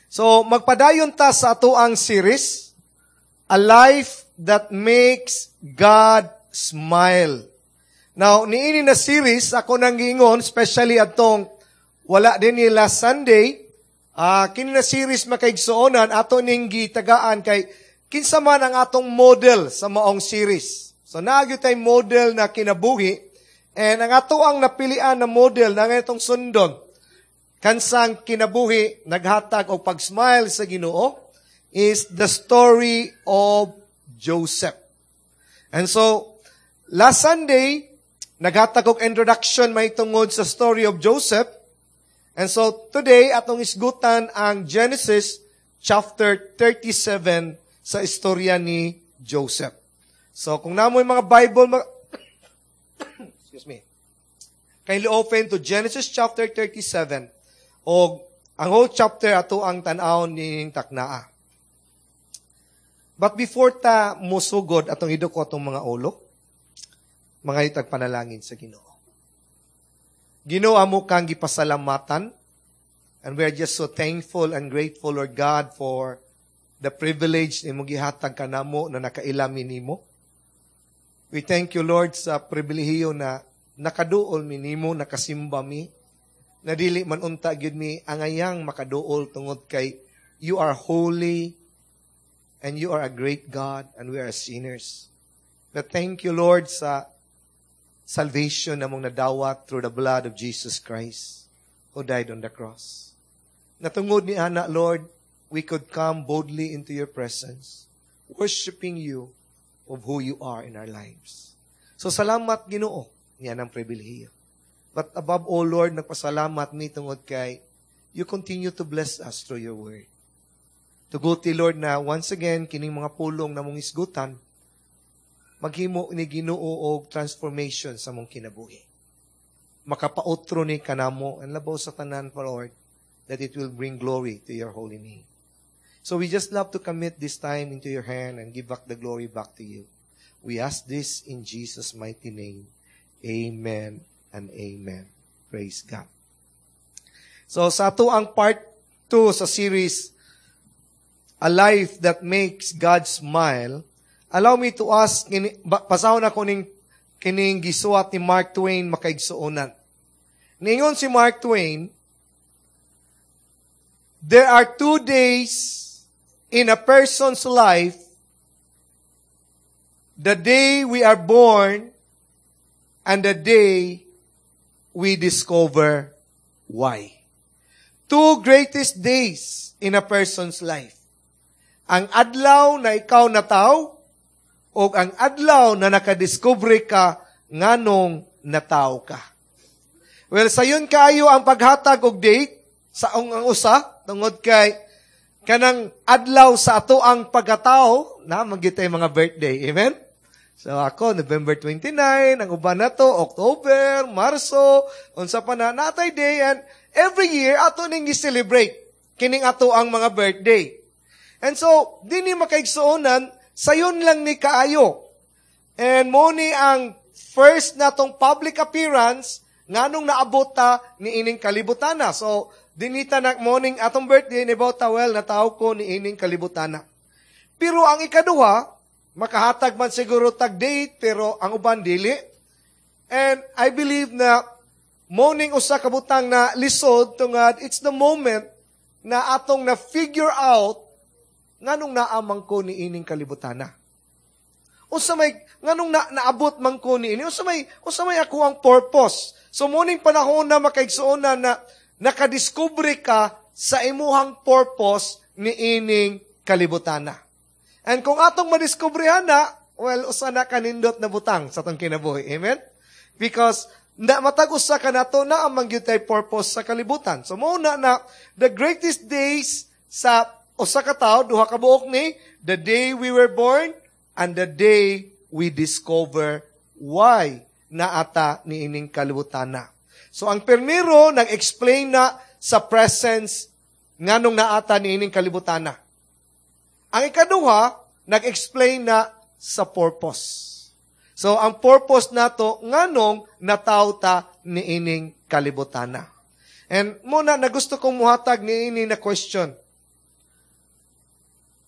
So, magpadayon ta sa atoang series, A Life That Makes God Smile. Now, niini na series, ako nang giingon, especially atong wala din ni last Sunday, kini na series, makaigsuonan, ato ning gitagaan kay kinsa man ang atong model sa maong series. So, naa gyud tay model na kinabuhi, and ang ato ang napilian na model na itong sundon, kansang kinabuhi naghatag og pag-smile sa Ginoo, is the story of Joseph. And so, last Sunday, naghatag og introduction may tungod sa story of Joseph. And so, today, atong isgutan ang Genesis chapter 37 sa istorya ni Joseph. So, kung naa moy mga Bible, excuse me, kindly open to Genesis chapter 37 o ang whole chapter ato ang tan-aw ning taknaa. But before ta musugod, atong iduko atong mga ulo, mga itag panalangin sa Ginoo. Ginoo, amo kang gipasalamatan, and we are just so thankful and grateful, Lord God, for the privilege ni imong gihatag kanamo na nakaila mi nimo. We thank you, Lord, sa pribilehiyo na nakaduol mi nimo, nakasimba mi, na dili man unta gyud mi angayang makaduol tungod kay you are holy and you are a great God and we are sinners. But thank you, Lord, sa salvation na mong nadawat through the blood of Jesus Christ who died on the cross. Natungod ni ana, Lord, we could come boldly into your presence, worshiping you of who you are in our lives. So salamat, Ginoo, niya ng pribilehiyo. But above all, Lord, nagpasalamat mi tungod kay you continue to bless us through your word. Tuguti, Lord, na once again, kining mga pulong na mong isgutan, maghimo ni Ginoo og transformation sa mong kinabuhi. Makapautro ni kanamo, and labaw sa tanan pa, Lord, that it will bring glory to your holy name. So we just love to commit this time into your hand and give back the glory back to you. We ask this in Jesus' mighty name. Amen and amen. Praise God. So sa ato ang part 2 sa series, A Life That Makes God Smile, allow me to ask, pasahon ako ning kining gisuwat ni Mark Twain, makaigsuonan. Ningon si Mark Twain, "There are two days in a person's life, the day we are born and the day we discover why." Two greatest days in a person's life. Ang adlaw na ikaw nataw o ang adlaw na nakadiscover ka nganong nataw ka. Well, sayon kaayo ang paghatag og date sa ang usa tungod kay kanang adlaw sa ato ang pagkatao na magitay mga birthday. Amen? So ako, November 29, ang uban na to, October, Marso, unsa pa na, natay day, and every year, ato ning gi-celebrate kining ato ang mga birthday. And so, dinhi, makaigsuonan, sayon lang ni kaayo. And mo ni ang first natong public appearance nganong naabot ta ni ining kalibutana. So, dinita na morning atong birthday ni bota, well, nataw ko ni ining kalibutana. Pero ang ikaduha, makahatag man siguro tag date, pero ang uban dili. And I believe na morning usa ka butang na lisod tungod it's the moment na atong na figure out nganong naamang ko ni ining kalibutana. Unsa may nganong na, naabot man ko ni ini? Unsa may ako ang purpose? So morning panahon na, makaigsuonan, na nakadiskubre ka sa imuhang purpose ni ining kalibutana. And kung atong madiskubrehan na, well, usa na kanindot na butang sa atong kinabuhi. Amen? Because na matag usa ka nato naa man gyud purpose sa kalibutan. So mo na na the greatest days sa usa ka tawo, duha ka buok ni the day we were born and the day we discover why naata ni ining kalibutan na. So ang primero nag-explain na sa presence nganong naata ni ining kalibutan na. Ang ikaduha, nag-explain na sa purpose. So ang purpose nato nganong nataw ta ni ining kalibutana. And muna na gusto kong muhatag ni ini na question.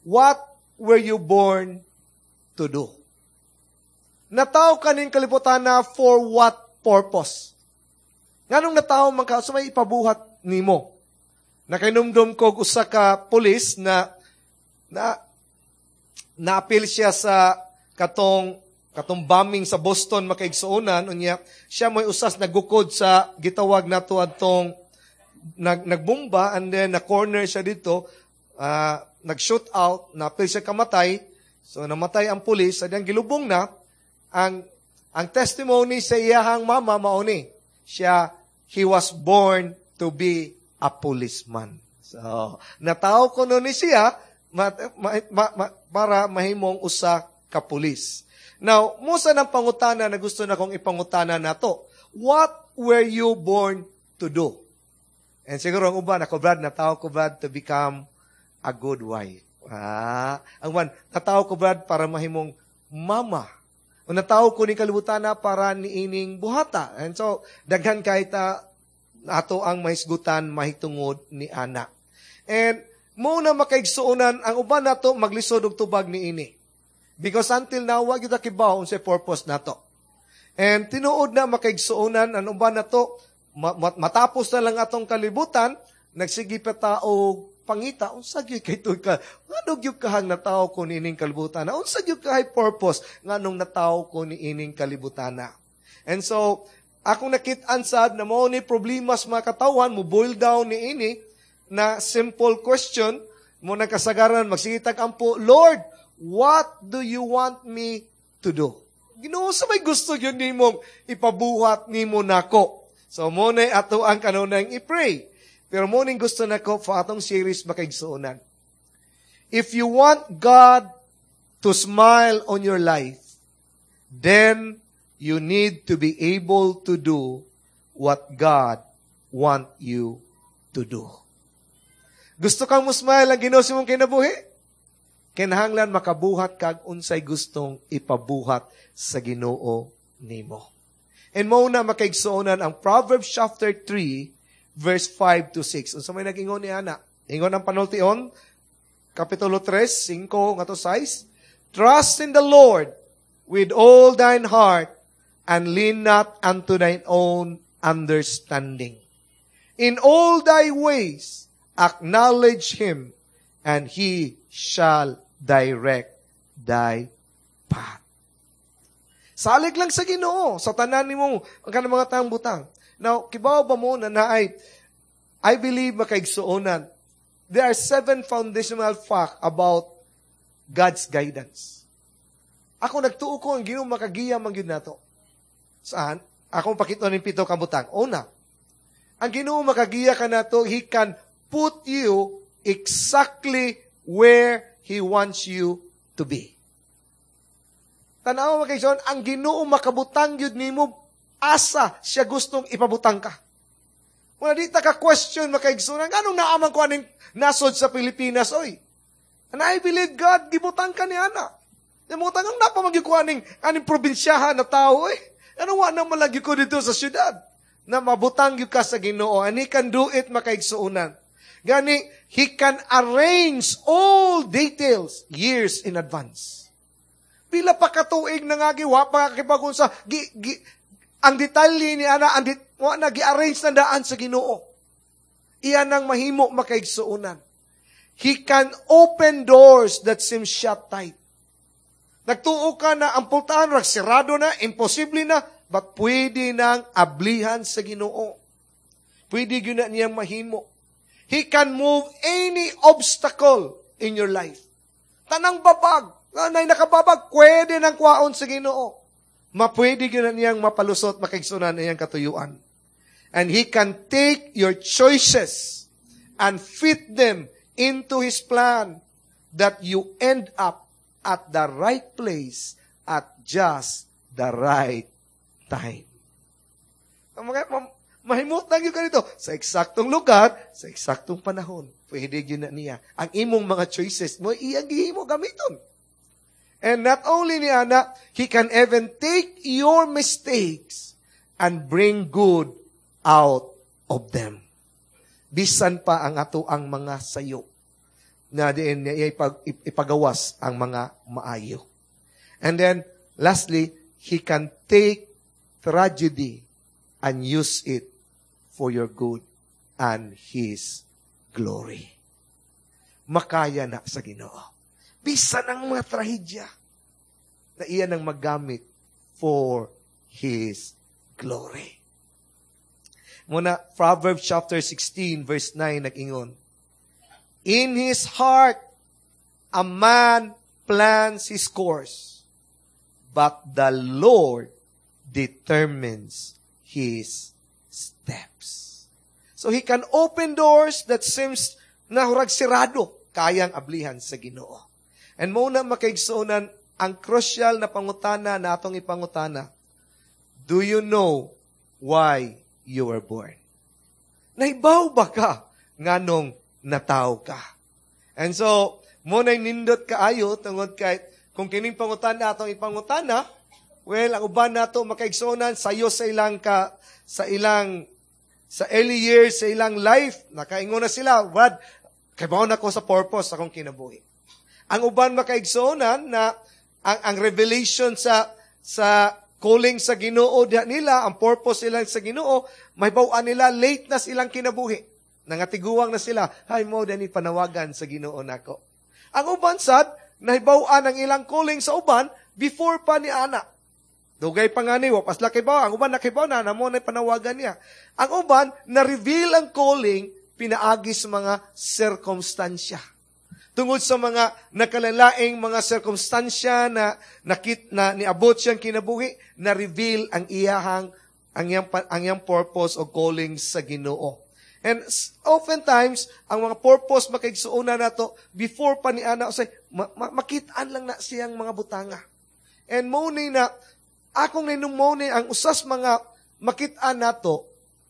"What were you born to do?" Natawo ka ning kalibutan na for what purpose? Nganong natawo man ka, so may ipabuhat nimo? Nakainumdum ko usa ka pulis na naapil siya sa katong bombing sa Boston, makaigsuonan. Unya siya mo'y usas nagukod sa gitawag nato adtong nagbomba, and then na corner siya dito, nag-shoot out, naapil siya kamatay. So namatay ang pulis, sa gilubong na ang testimony sa iyahang mama mao ni siya, "He was born to be a policeman." So natawo kuno ni siya para mahimong usa ka pulis. Now, musa ng pangutana na gusto na kong ipangutana nato. What were you born to do? And siguro ang uban, "Ako, Brad, natawo ko, Brad, to become a good wife." Ang uban, "Natawo ko, Brad, para mahimong mama." O "Natawo ko ni kalibutan na para niining buhata." And so, daghan kahit ato ang mahisgutan mahitungod ni ana. And mo na, makaigsuonan, ang uban nato maglisod og tubag ni ini. Because until now, wa gyud kibaw unsay purpose nato. And tinuod na, makaigsuonan, ang uban nato matapos na lang atong kalibutan, nagsige pa ta og pangita unsa gyud kay ka, ngano gyud kahang natawo ko niining kalibutan, unsa gyud kay purpose nganong natawo ko niining kalibutan. And so akong nakit-an sad na mao ni problema sa mga katawhan, mo boil down ni ini na simple question mo nagkasagaran magsige tag ampo, "Lord, what do you want me to do?" Ginoo, sa may gusto gyud nimong ipabuhat nimo nako? So mo na ato ang kanunang i-pray. Pero mo ning gusto nako for atong series, makaigsuonan. If you want God to smile on your life, then you need to be able to do what God want you to do. Gusto kang mo smile ang Ginoo sa imong kinabuhi? Kinahanglan makabuhat kag unsay gustong ipabuhat sa Ginoo nimo. And mo na, makaigsuonan, ang Proverbs chapter 3 verse 5 to 6. Unsa may nag-ingon ni ana? Ingon ang panultion, Kapitulo 3, 5 ngadto 6. "Trust in the Lord with all thine heart and lean not unto thine own understanding. In all thy ways acknowledge Him and He shall direct thy path." Salig lang sa Ginoo sa tanan nimo ang kanang mga tang butang. Now, kibaw ba mo na naay, I believe, makaigsuonan, there are seven foundational fact about God's guidance. Ako nagtuo ko ang Ginoo makagiya man gyud nato. Saan? Akong pakita ning pito ka butang. Una, ang Ginoo makagiya ka nato, He can put you exactly where He wants you to be. Tanaw, mga, ang Ginoo makabutang gyud nimo asa siya gustong ipabutang ka. Wala di ta ka question, makaigsunan, nganong naaman ko aning nasod sa Pilipinas, oy? And I believe God, gibutang ka ni ana. Gibutang ang napamagyo ko aning probinsyahan na tao, eh. Ano wa na malagi ko dito sa syudad? Na mabutang gyud ka sa Ginoo, and He can do it, makaigsuonan. Gani, He can arrange all details years in advance. Pila pa katuig na nga wa pa kakibagon sa gi, ang detalye ni ana ang wa na gi-arrange na daan sa Ginoo. Iyan ang mahimo, makaigsuonan. He can open doors that seem shut tight. Nagtuo ka na ang pultahan ra sirado na, imposible na, but pwede nang ablihan sa Ginoo. Pwede gyud na niyang mahimo. He can move any obstacle in your life. Tanang babag, nanay nakababag, pwede nang kwaon sa Ginoo. Mapwede gyud na niyang mapalusot, makaigsunan, iyang katuyuan. And He can take your choices and fit them into His plan that you end up at the right place at just the right time. Mahimut na gyud ka nito sa eksaktong lugar, sa eksaktong panahon. Pwede gyud na niya. Ang imong mga choices mo, iyang gihimo gamiton. And not only ni ana, He can even take your mistakes and bring good out of them. Bisan pa ang ato ang mga sayo. Na diin niya ipagawas ang mga maayo. And then, lastly, He can take tragedy and use it for your good and His glory. Makaya na sa Ginoo. Bisan ang mga trahedya na iya nang maggamit for His glory. Muna, Proverbs chapter 16 verse 9 nag-ingon, "In his heart, a man plans his course, but the Lord determines his steps." So He can open doors that seems na hurag sirado, kayang ablihan sa Ginoo. And mao na, makaigsuonan, ang crucial na pangutana na atong ipangutana, do you know why you were born? Nahibaw ba ka nganong nataw ka? And so, mao na nindot kaayo tungod kay kung kining pangutana atong ipangutana, well, ang uban nato, makaigsuonan, sayo sa ilang sa early years sa ilang life, nakaingon na sila, "What? Kay na ko sa purpose akong kinabuhi." Ang uban, makaigsuonan, na ang revelation sa calling sa Ginoo diha nila, ang purpose nila sa Ginoo, mahibaw-an nila late na silang kinabuhi. Nangatiguang na sila, "Hay, mao ni panawagan sa Ginoo nako." Ang uban sad, nahibaw-an ang ilang calling sa uban before pa ni ana. Dugay pa nga ni, wa pa sila kibaw. Ang uban nakibaw na, na mao na panawagan niya. Ang uban, na-reveal ang calling, pinaagi sa mga sirkumstansya. Tungod sa mga nakalalaing mga sirkumstansya na nakit na niabot siyang kinabuhi, na-reveal ang iyang purpose o calling sa Ginoo. And oftentimes, ang mga purpose, makaigsuonan, nato before pa ni ana usay makitaan lang na siyang mga butanga. And mo ni na akong ninumone ang usas mga makitaan nato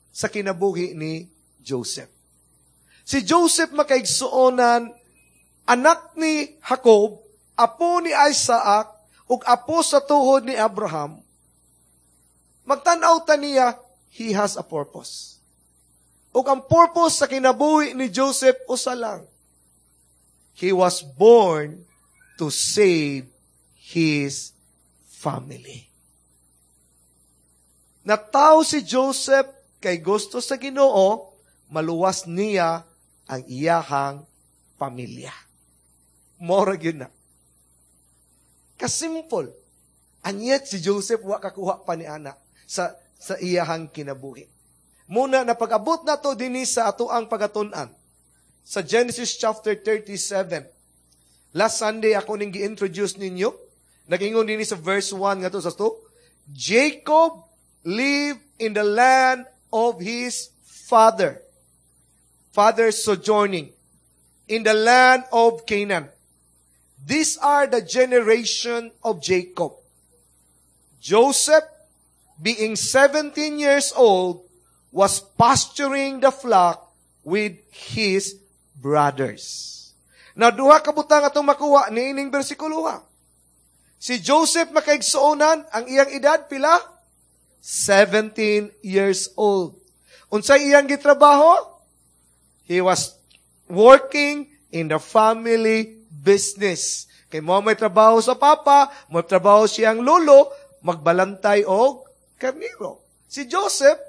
sa kinabuhi ni Joseph. Si Joseph, makaigsuonan, anak ni Jacob, apo ni Isaac, ug apo sa tuhod ni Abraham. Magtan-aw ta niya, he has a purpose. Ug ang purpose sa kinabuhi ni Joseph usa lang. He was born to save his family. Nataw si Joseph kay gusto sa Ginoo, maluwas niya ang iyahang pamilya. Mora gyud na. Kasimple. And yet, si Joseph wa kakuha pa ni ana sa iyahang kinabuhi. Muna na pag-abot na to dinhi sa ato ang pagatun-an. Sa Genesis chapter 37. Last Sunday ako ning gi-introduce ninyo. Nag-ingon dinhi sa verse 1 ngadto sa 2. Jacob lived in the land of his father sojourning in the land of Canaan. These are the generation of Jacob. Joseph, being 17 years old, was pasturing the flock with his brothers. Now, duha ka butang atong makuha niining bersikulo ha. Si Joseph, makaigsuonan, ang iyang edad pila? 17 years old. Unsay iyang gitrabaho? He was working in the family business. Kay mo may trabaho sa papa, may trabaho siyang lolo, magbalantay og karniro. Si Joseph,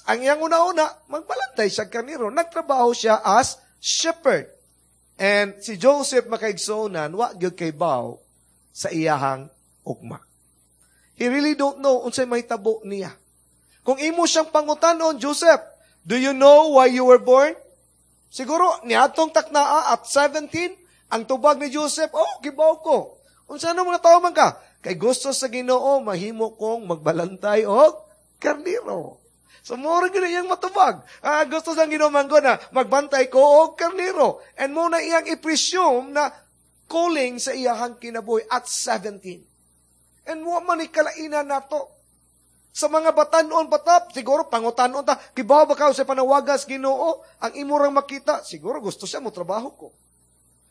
ang iyang una-una, magbalantay siya karniro. Nagtrabaho siya as shepherd. And si Joseph, makaigsuonan, wa gyud kaybaw sa iyahang ugma. He really don't know unsay mahitabo niya. Kung imo siyang pangutanon, "Joseph, do you know why you were born?" Siguro, niadtong taknaa at 17, ang tubag ni Joseph, "Oh, kibaw ko." "Unsa na mga tao man ka?" "Kay gusto sa Ginoo, mahimo kong magbalantay og karniro." So, mura gyud iyang matubag. Ah, gusto sa Ginoo man ko na magbantay ko og karniro. And mao na iyang i-presume na calling sa iyahang kinabuhi at 17. And mo man ni kalainan nato. Sa mga batanon patap, siguro pangutanon ta, "Kibaw ba ka sa panawagas Ginoo?" Ang imo rang makita, "Siguro gusto siya mo trabaho ko.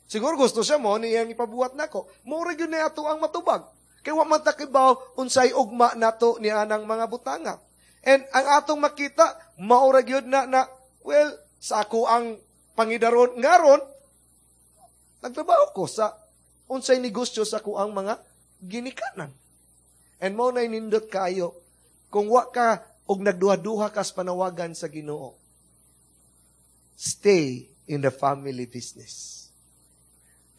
Siguro gusto siya mo niyang ipabuhat nako." Mura gyud na ato ang matubag. Kay wa man ta kibaw unsay ugma nato ni anang mga butanga. And ang atong makita, maura gyud na na well, sa ako ang pangidaron ngaron, Nagtrabaho ko sa unsay negosyo sa kuang mga ginikanan. And mao na nindot kayo kung wa ka og nagduha-duha ka sa panawagan sa Ginoo. Stay in the family business.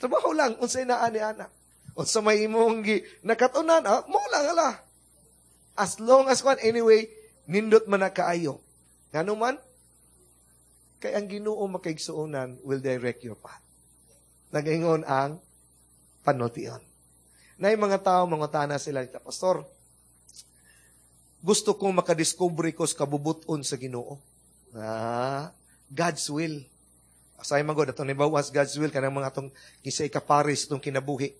Trabaho lang unsay naa ni ana. Unsa may imong gi nakatunan, mo lang ala. As long as kwan, anyway, nindot man na kaayo. Ngano man, kay ang Ginoo, makaigsuonan, will direct your path. Nagaingon ang panultion. Na mga tao, mangutana sila, "Pastor, gusto kong makadiscover ko sa kabubuton sa Ginoo." Ah, God's will. Asay man god atong nibawas God's will kanang mga atong kinsa ikaparis itong kinabuhi.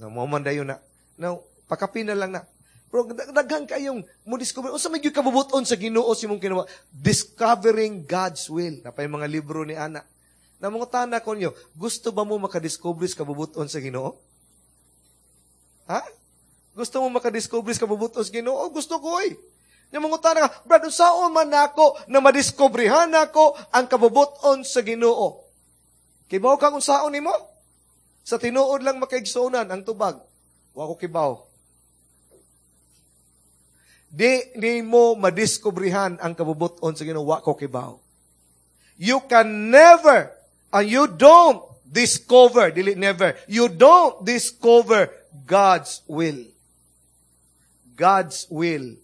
No, mo man dayon na. Now, pakapin na lang na. Pero daghan kayong mo discover unsa may gyud kabubuton sa Ginoo sa imong kinabuhi. Discovering God's will. Napay mga libro ni ana. Na mangutana ko niyo, gusto ba mo makadiscover sa kabubuton sa Ginoo? Ha? Gusto mo makadiscover sa kabubuton sa Ginoo? Gusto ko eh. Nya mangutana ka, "Brad, unsaon man nako na madiskobrehan nako ang kabubuton sa Ginoo?" Kibaw kang unsaon nimo? Sa tinuod lang, makaigsuonan, ang tubag, wa ko kibaw. Di nimo madiskobrehan ang kabubuton sa Ginoo, wa ko kibaw. You can never, and you don't discover, dili never, you don't discover God's will. God's will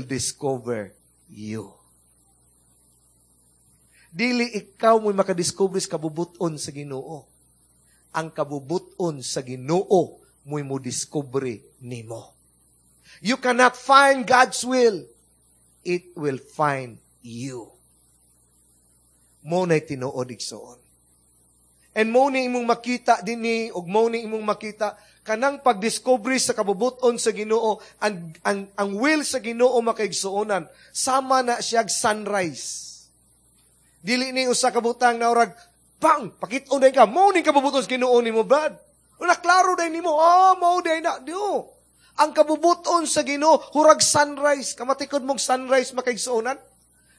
discover you. Dili ikaw mo makadiscover sa kabubuton sa Ginoo. Ang kabubuton sa Ginoo mo'y mo discover nimo. You cannot find God's will. It will find you. Mo na'y tinuod, igsoon. And mo ni imong makita dinhi ug mo ni imong makita kanang pagdiscover sa kabubuton sa Ginoo, ang will sa Ginoo, makaigsuonan, sama na siyag sunrise. Dili ni usa ka butang na urag bang pakit-on day ka mo ni kabubuton sa Ginoo nimo, brad. Una klaro day nimo, mao day na dio. Ang kabubuton sa Ginoo hurag sunrise. Kamatikod mong sunrise, makaigsuonan?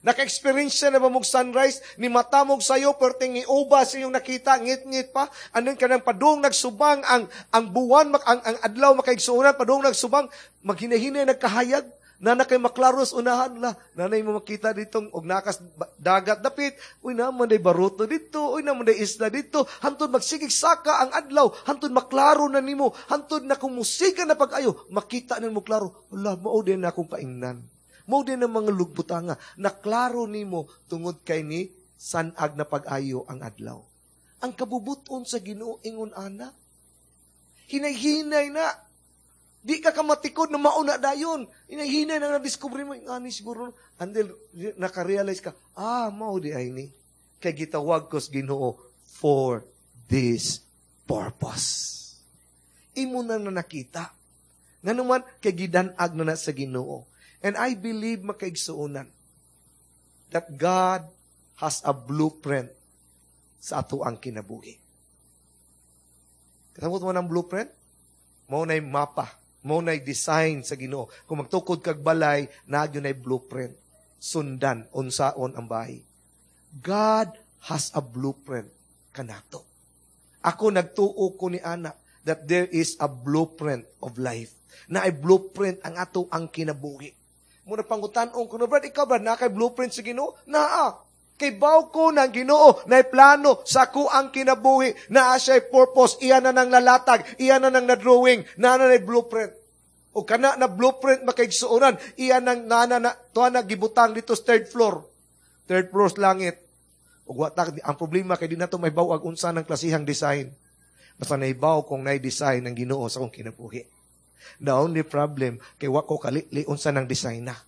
Naka-experience na ba mong sunrise? Ni mata mong sayo, perting ni ubas iyong nakita, ngit-ngit pa. Anong kanang padung nagsubang ang buwan, ang adlaw, makaigsuonan, padung nagsubang, maghinahinay nagkahayag. Na na kay maklaros unahan la. Nanay mo makita ditong og nakas dagat dapit. Uy, naman day baruto dito. Uy, naman day isla dito. Hantod magsigig saka ang adlaw. Hantod maklaro na nimo. Hantod na kung musika na pag-ayo, makita na mo klaro. Wala, mao din na akong paingnan. Mao din ang mga lugbutanga na klaro nimo tungod kay ni sanag na pag-ayo ang adlaw. Ang kabubuton sa Ginoo ingon ana. Hinay-hinay na. Di ka kamatikod na mauna dayon. Hinay-hinay na na-discover mo, ani siguro, until naka-realize ka, "Ah, mao di ay ni. Kay gitawag ko sa Ginoo for this purpose." Imo na na nakita. Nga naman, kay gidanag na na sa Ginoo. And I believe, makaigsuonan, that God has a blueprint sa ato ang kinabuhi. Kasabot mo ng blueprint? Mao na'y mapa. Mao na'y design sa Ginoo. Kung magtukod kag balay, naa gyud na'y blueprint. Sundan, unsaon ang bahay. God has a blueprint kanato. Ako, nagtuo ko ni ana that there is a blueprint of life. Na ay blueprint ang ato ang kinabuhi. Muna pangutan-on ko na, "Brad, ikaw, Brad, na kay blueprint sa Ginoo?" Naa. Kay baw ko ng Ginoo na plano sa ko ang kinabuhi, naa siya purpose, iya na nang lalatag, iya na nang na-drawing, naa na blueprint. O kana na blueprint, makaigsuonan, iya nang nana na, tuwa na gibutang dito sa third floor. Third floor sa langit. Ug wa ta, ang problema kay di nato may bawag unsa ng klasihang design. Basta naibaw kong nay design ng Ginoo sa akong kinabuhi. The only problem kay wa ko kalili unsa ng design na.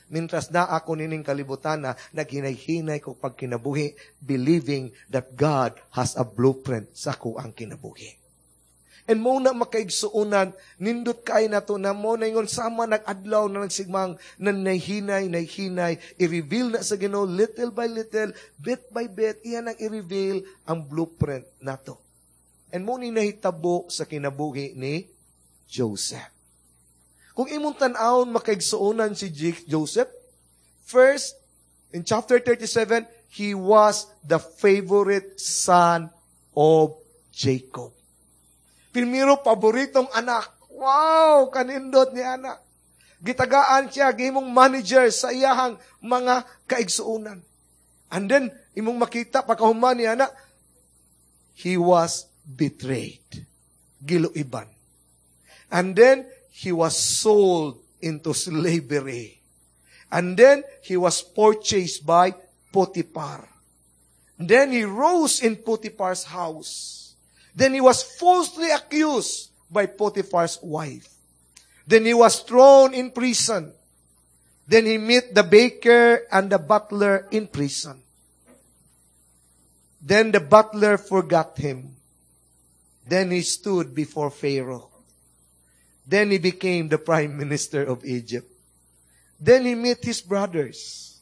Mintras na ako nining kalibutan na naghinay-hinay ko pagkinabuhi, believing that God has a blueprint sa ko ang kinabuhi. And mo na, makaigsuonan, nindot kay na to na mo na ingon sama nag-adlaw na nagsigmang na nahinay, nahinay, i-reveal na sa Ginoo little by little, bit by bit, iyan ang i-reveal ang blueprint nato. And mo ni nahitabo sa kinabuhi ni Joseph. Kung imong tan-awon, makaigsuonan, si Joseph, first, in chapter 37, he was the favorite son of Jacob. Primero, paboritong anak. Wow, kanindot ni anak. Gitagaan siya, gihimong manager sa iyahang mga kaigsuunan. And then, imong makita, pagkahuman ni anak, he was betrayed. Giluiban. And then, he was sold into slavery. And then, he was purchased by Potiphar. Then, he rose in Potiphar's house. Then, he was falsely accused by Potiphar's wife. Then, he was thrown in prison. Then, he met the baker and the butler in prison. Then, the butler forgot him. Then, he stood before Pharaoh. Then, he became the prime minister of Egypt. Then, he met his brothers.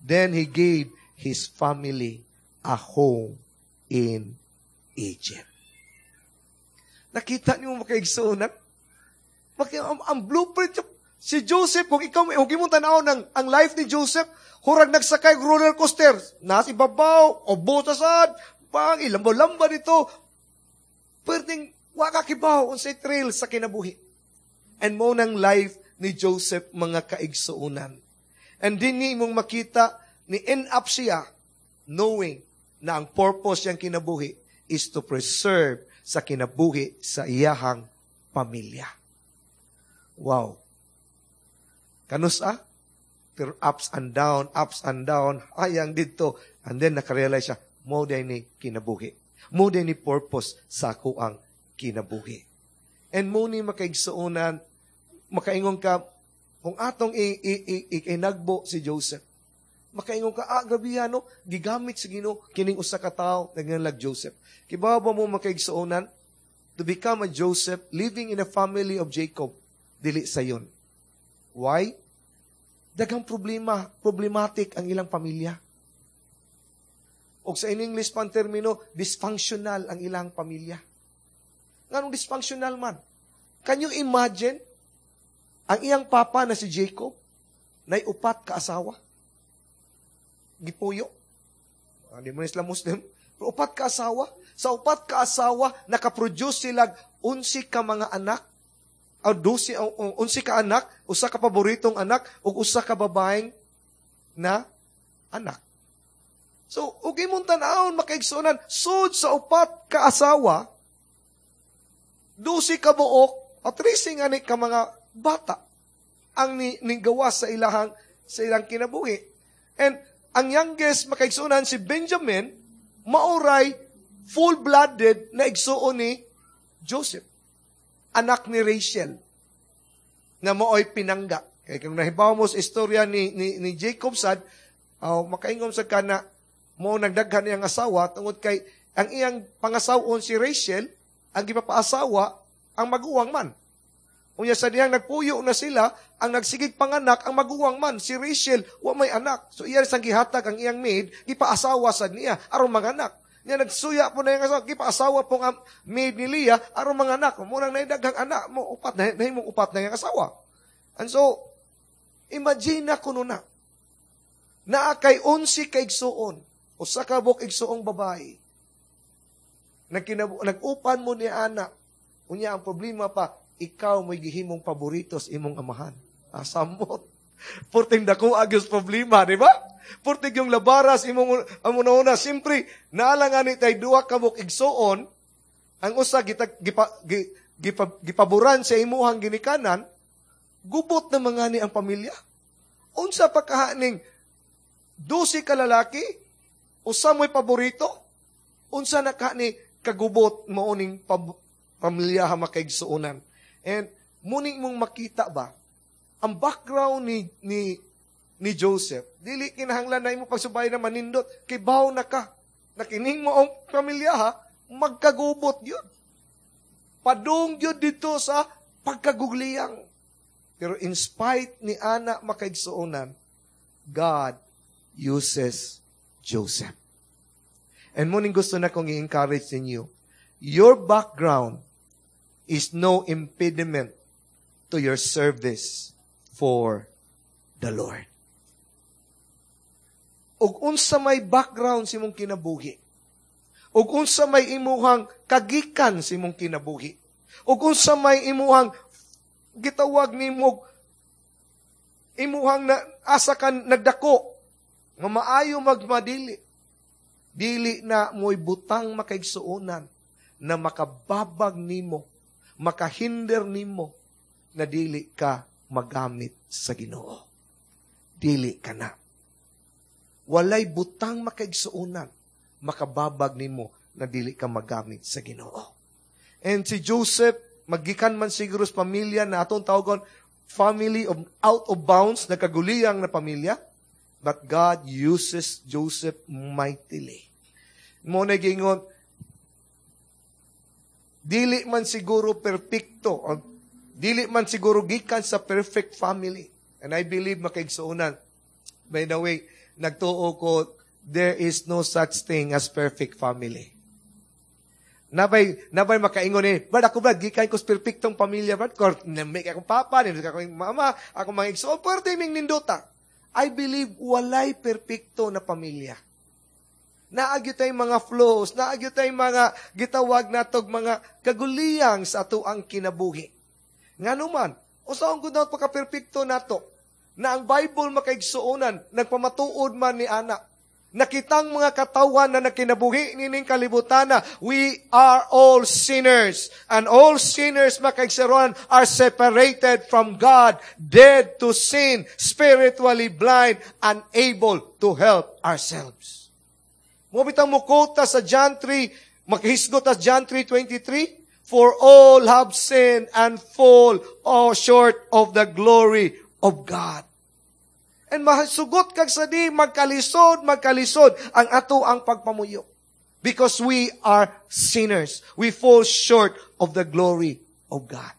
Then, he gave his family a home in Egypt. Nakita niyo, makaigsuonan? Ang blueprint si Joseph, kung ikaw, kung imong tanaw ng ang life ni Joseph, hurag nagsakay roller coaster, nasa ibabaw, o sad, pang ilambo-lamba dito, pwedeng wa ka kibaw unsay trail sa kinabuhi. And mao nang life ni Joseph, mga kaigsuonan. And din ni imong makita, ni end up siya knowing na ang purpose niyang kinabuhi is to preserve sa kinabuhi sa iyahang pamilya. Wow. Kanus ah? Pero ups and down, ups and down, ayang dito. And then nakarealize siya, mao ni kinabuhi. Mao ni purpose sa ako ang kinabuhi. And mao ni, makaigsuonan, makaingon ka, kung atong inagbo si Joseph, makaingon ka, "Ah, grabe no, gigamit sa Ginoo kining usa ka tawo nagngalag Joseph." Kibaw ba mo, makaigsuonan, to become a Joseph living in a family of Jacob, dili sayon? Why? Daghang problema, problematic ang ilang pamilya. O sa in English pang termino, dysfunctional ang ilang pamilya. Nganong dysfunctional man? Can you imagine ang iyang papa na si Jacob, nay upat ka asawa? Gipuyo. Di mo sila Muslim. Pero upat ka asawa. Sa upat ka asawa, nakaproduce sila 11 ka mga anak, o 12, 11 ka anak, usa ka paboritong anak, ug usa ka babaeng na anak. So, ug imong tan-awon, makaigsuonan, sud sa upat ka asawa, 12 ka buok, at 13 ani ka mga bata ang ni gawas sa ilang kinabuhi. And ang youngest, makaigsuonan, si Benjamin, mauray full-blooded na igsuon ni Joseph. Anak ni Rachel na maoy pinangga. Kaya kung nahibaw mo sa istorya ni Jacob sad, makaingon sa kana mo nagdaghan niyang asawa tungod kay ang iyang pangasawon si Rachel, ang gipapaasawa ang maguwang man. Unya sa dihang nagpuyo na sila, ang nagsigig panganak ang maguwang man, si Rachel wa may anak. So iya sang gihatag ang iyang maid, gipaasawa sad niya aron manganak. Nya nagsuya po na iyang asawa, gipaasawa po ang maid ni Leah aron manganak. Mo nang naidaghang anak mo upat na nahimong upat na iyang asawa. And so imagine na kuno na. Naa kay 11 ka igsuon, usa ka buok igsuong babae. Nag-upan mo ni ana. Unya ang problema pa, ikaw mo'y gihimong paborito sa imong amahan. Asamot. Purting dako agyos problema, di ba? Purting yung labaras imong ang una-una, siyempre, naalang ani tay duha ka buok igsuon, ang usa gita, gipa, gi, gipa, gipaboran sa imuhang ginikanan, gubot na mga ni ang pamilya. Unsa pa kahaning 12 ka lalaki, usa mo'y paborito, unsa na ka ni kagubot mauning pamilya ha, makaigsuonan? And muning mong makita ba, ang background ni Joseph, dili kinahanglan na imo pagsubay na manindot, kibaw na ka, na kining mo ang pamilya ha, magkagubot yun. Padung yun dito sa pagkagugliyang. Pero in spite ni ana, makaigsuonan, God uses Joseph. And muning gusto na kong i-encourage ninyo, your background is no impediment to your service for the Lord. Ug unsa may background sa imong kinabuhi, Ug unsa may imuhang kagikan sa imong kinabuhi. Ug unsa may imuhang gitawag nimo imuhang na, asa ka nagdako nga maayo magmadili. Dili na mo'y butang makaigsuonan na makababag nimo, makahinder nimo na dili ka magamit sa Ginoo. Dili ka na. Walay butang makaigsuonan makababag nimo na dili ka magamit sa Ginoo. And si Joseph, magikan man siguro sa pamilya na atong tawagon family of out of bounds, nagkaguliyang na pamilya, but God uses Joseph mightily. Mo na gingon, dili man siguro perpekto, o dili man siguro gikan sa perfect family. And I believe, makaigsuonan, by the way, nagtuo ko, there is no such thing as perfect family. Nabay makaingon eh, "Brad, ako brad, gikan ko sa perfectong pamilya, brad, kor, nami akong papa, nami akong mama, akong mga igsoon, pwerte ming nindota." I believe walay perpekto na pamilya. Naagyo tay mga flaws, naagyo tay mga gitawag natog mga kaguliyang sa ato ang kinabuhi. Ngano man, usaon gud na pagka-perpekto nato, na ang Bible, makaigsuonan, nagpamatuod man ni ana, nakitang mga katawan na nakinabuhi nining kalibutana, we are all sinners. And all sinners, makaigsuonan, are separated from God, dead to sin, spiritually blind, unable to help ourselves. Mo bitang mukota sa John 3, makahisgot sa John 3:23, "For all have sinned and fall all short of the glory of God." And mahasugot kag sa di, magkalisod, magkalisod ang ato ang pagpamuyo. Because we are sinners. We fall short of the glory of God.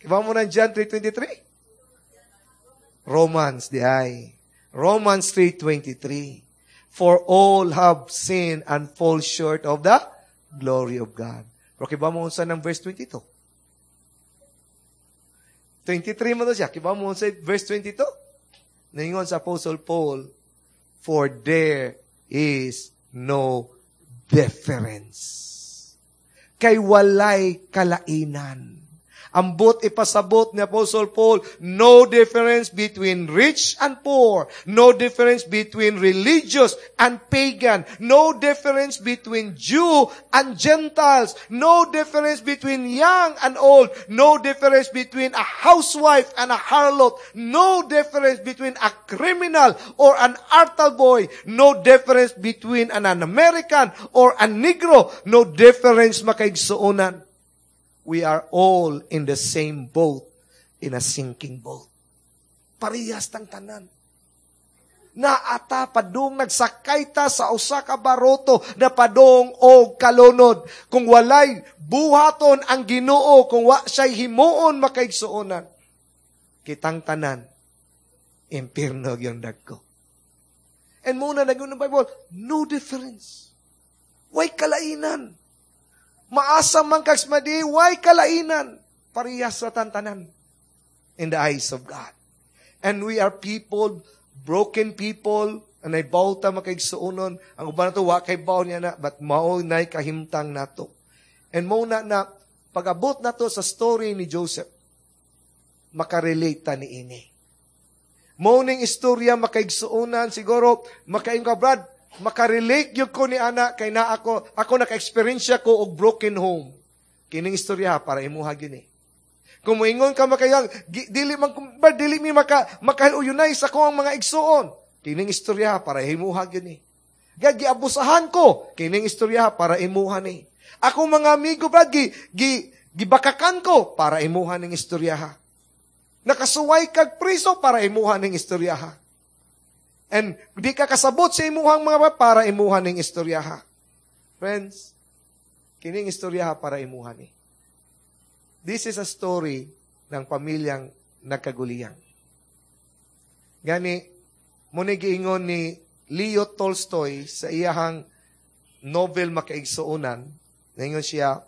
Kibaw mo ng John 3:23? Romans, di ay. Romans 3:23. "For all have sinned and fall short of the glory of God." Pero kibaw mo unsa ng verse 22? 23 mo to siya. Kibaw mo unsa verse 22? Ningon sa Apostle Paul, "For there is no difference." Kay walay kalainan. Ambot ipasabot ni Apostle Paul, no difference between rich and poor, no difference between religious and pagan, no difference between Jew and Gentiles, no difference between young and old, no difference between a housewife and a harlot, no difference between a criminal or an altar boy, no difference between an American or a Negro, no difference, makaigsuonan. We are all in the same boat, in a sinking boat. Parehas tang tanan. Naata padung nagsakay ta sa usa ka baroto na padung og kalunod. Kung walay buhaton ang Ginoo, kung wa siya'y himuon, makaigsuonan, kitang tanan, impierno yung dagko. And muna nag ng Bible, no difference. Way kalainan. Maasa man kag madi, way kalainan. Parehas sa tantanan in the eyes of God. And we are people, broken people, and ay ta makaigsuonon. Ang uban nato, wa kay baw niya na, but mao na'y kahimtang nato. And mo na na, pag-abot nato sa story ni Joseph, makarelate ta ni ini. Mo ning istorya, makaigsuonan, siguro, makaingon ka, "Brad, makarelate gyud ko ni ana kay na ako naka-experience ko og broken home." Kining istorya para imuha gyud ni. Kung moingon ka makayang, dili man ba dili mi makauyunay sa ko ang mga igsuon. Kining istorya para imuha gyud ni. Gag giabusahan ko, kining istorya para imuha ni. Ako mga amigo, brad, gi, gi gibakakan ko para imuha ning istorya. Nakasuway kag priso para imuha ning istorya. And di ka kasabot sa imuhang mga para imuha ning istorya. Friends, kining istorya para imuha ni. This is a story ng pamilyang nagkaguliyang. Gani, mo ni giingon ni Leo Tolstoy sa iyahang novel, makaigsuonan, ningon siya,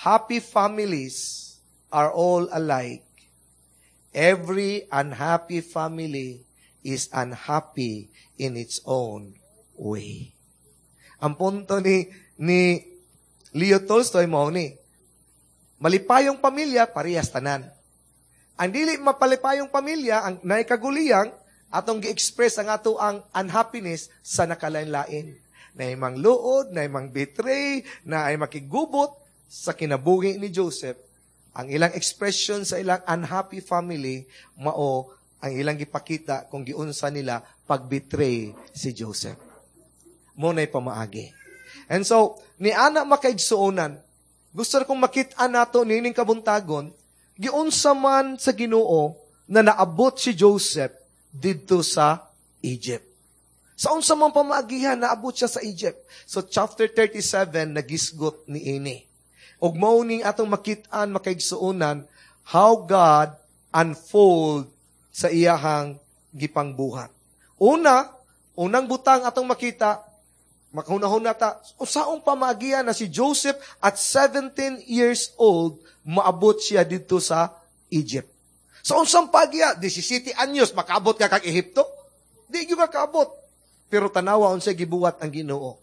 "Happy families are all alike. Every unhappy family is unhappy in its own way." Ang punto ni Leo Tolstoy mao ni, malipayong pamilya, parehas tanan. Ang dili mapalipayong pamilya, ang naikaguliyang, atong gi-express ang ato ang unhappiness sa nakalain-lain. Naay mangluod, naay mang-betray, naay makigubot sa kinabuhi ni Joseph. Ang ilang expression sa ilang unhappy family, mao ang ilang gipakita kung giunsa nila pag-betray si Joseph. Mao na'y pamaagi. And so, ni ana, makaigsuonan, gusto kong makita nato nining kabuntagon, giunsa man sa Ginoo na naabot si Joseph didto sa Egypt. Sa unsa man pamaagihan, naabot siya sa Egypt. So chapter 37, nagisgot ni ini. Ug mao ning atong makit-an, makaigsuonan, how God unfold sa iyahang gipangbuhat. Una, unang butang atong makita, makahuna-huna ta, usaong pamaagihan na si Joseph at 17 years old, maabot siya dito sa Egypt? Sa unsang pagya, 17 anyos, makaabot ka kag Ehipto? Di gyud ka kaabot. Pero tanawa unsay gibuhat ang Ginoo.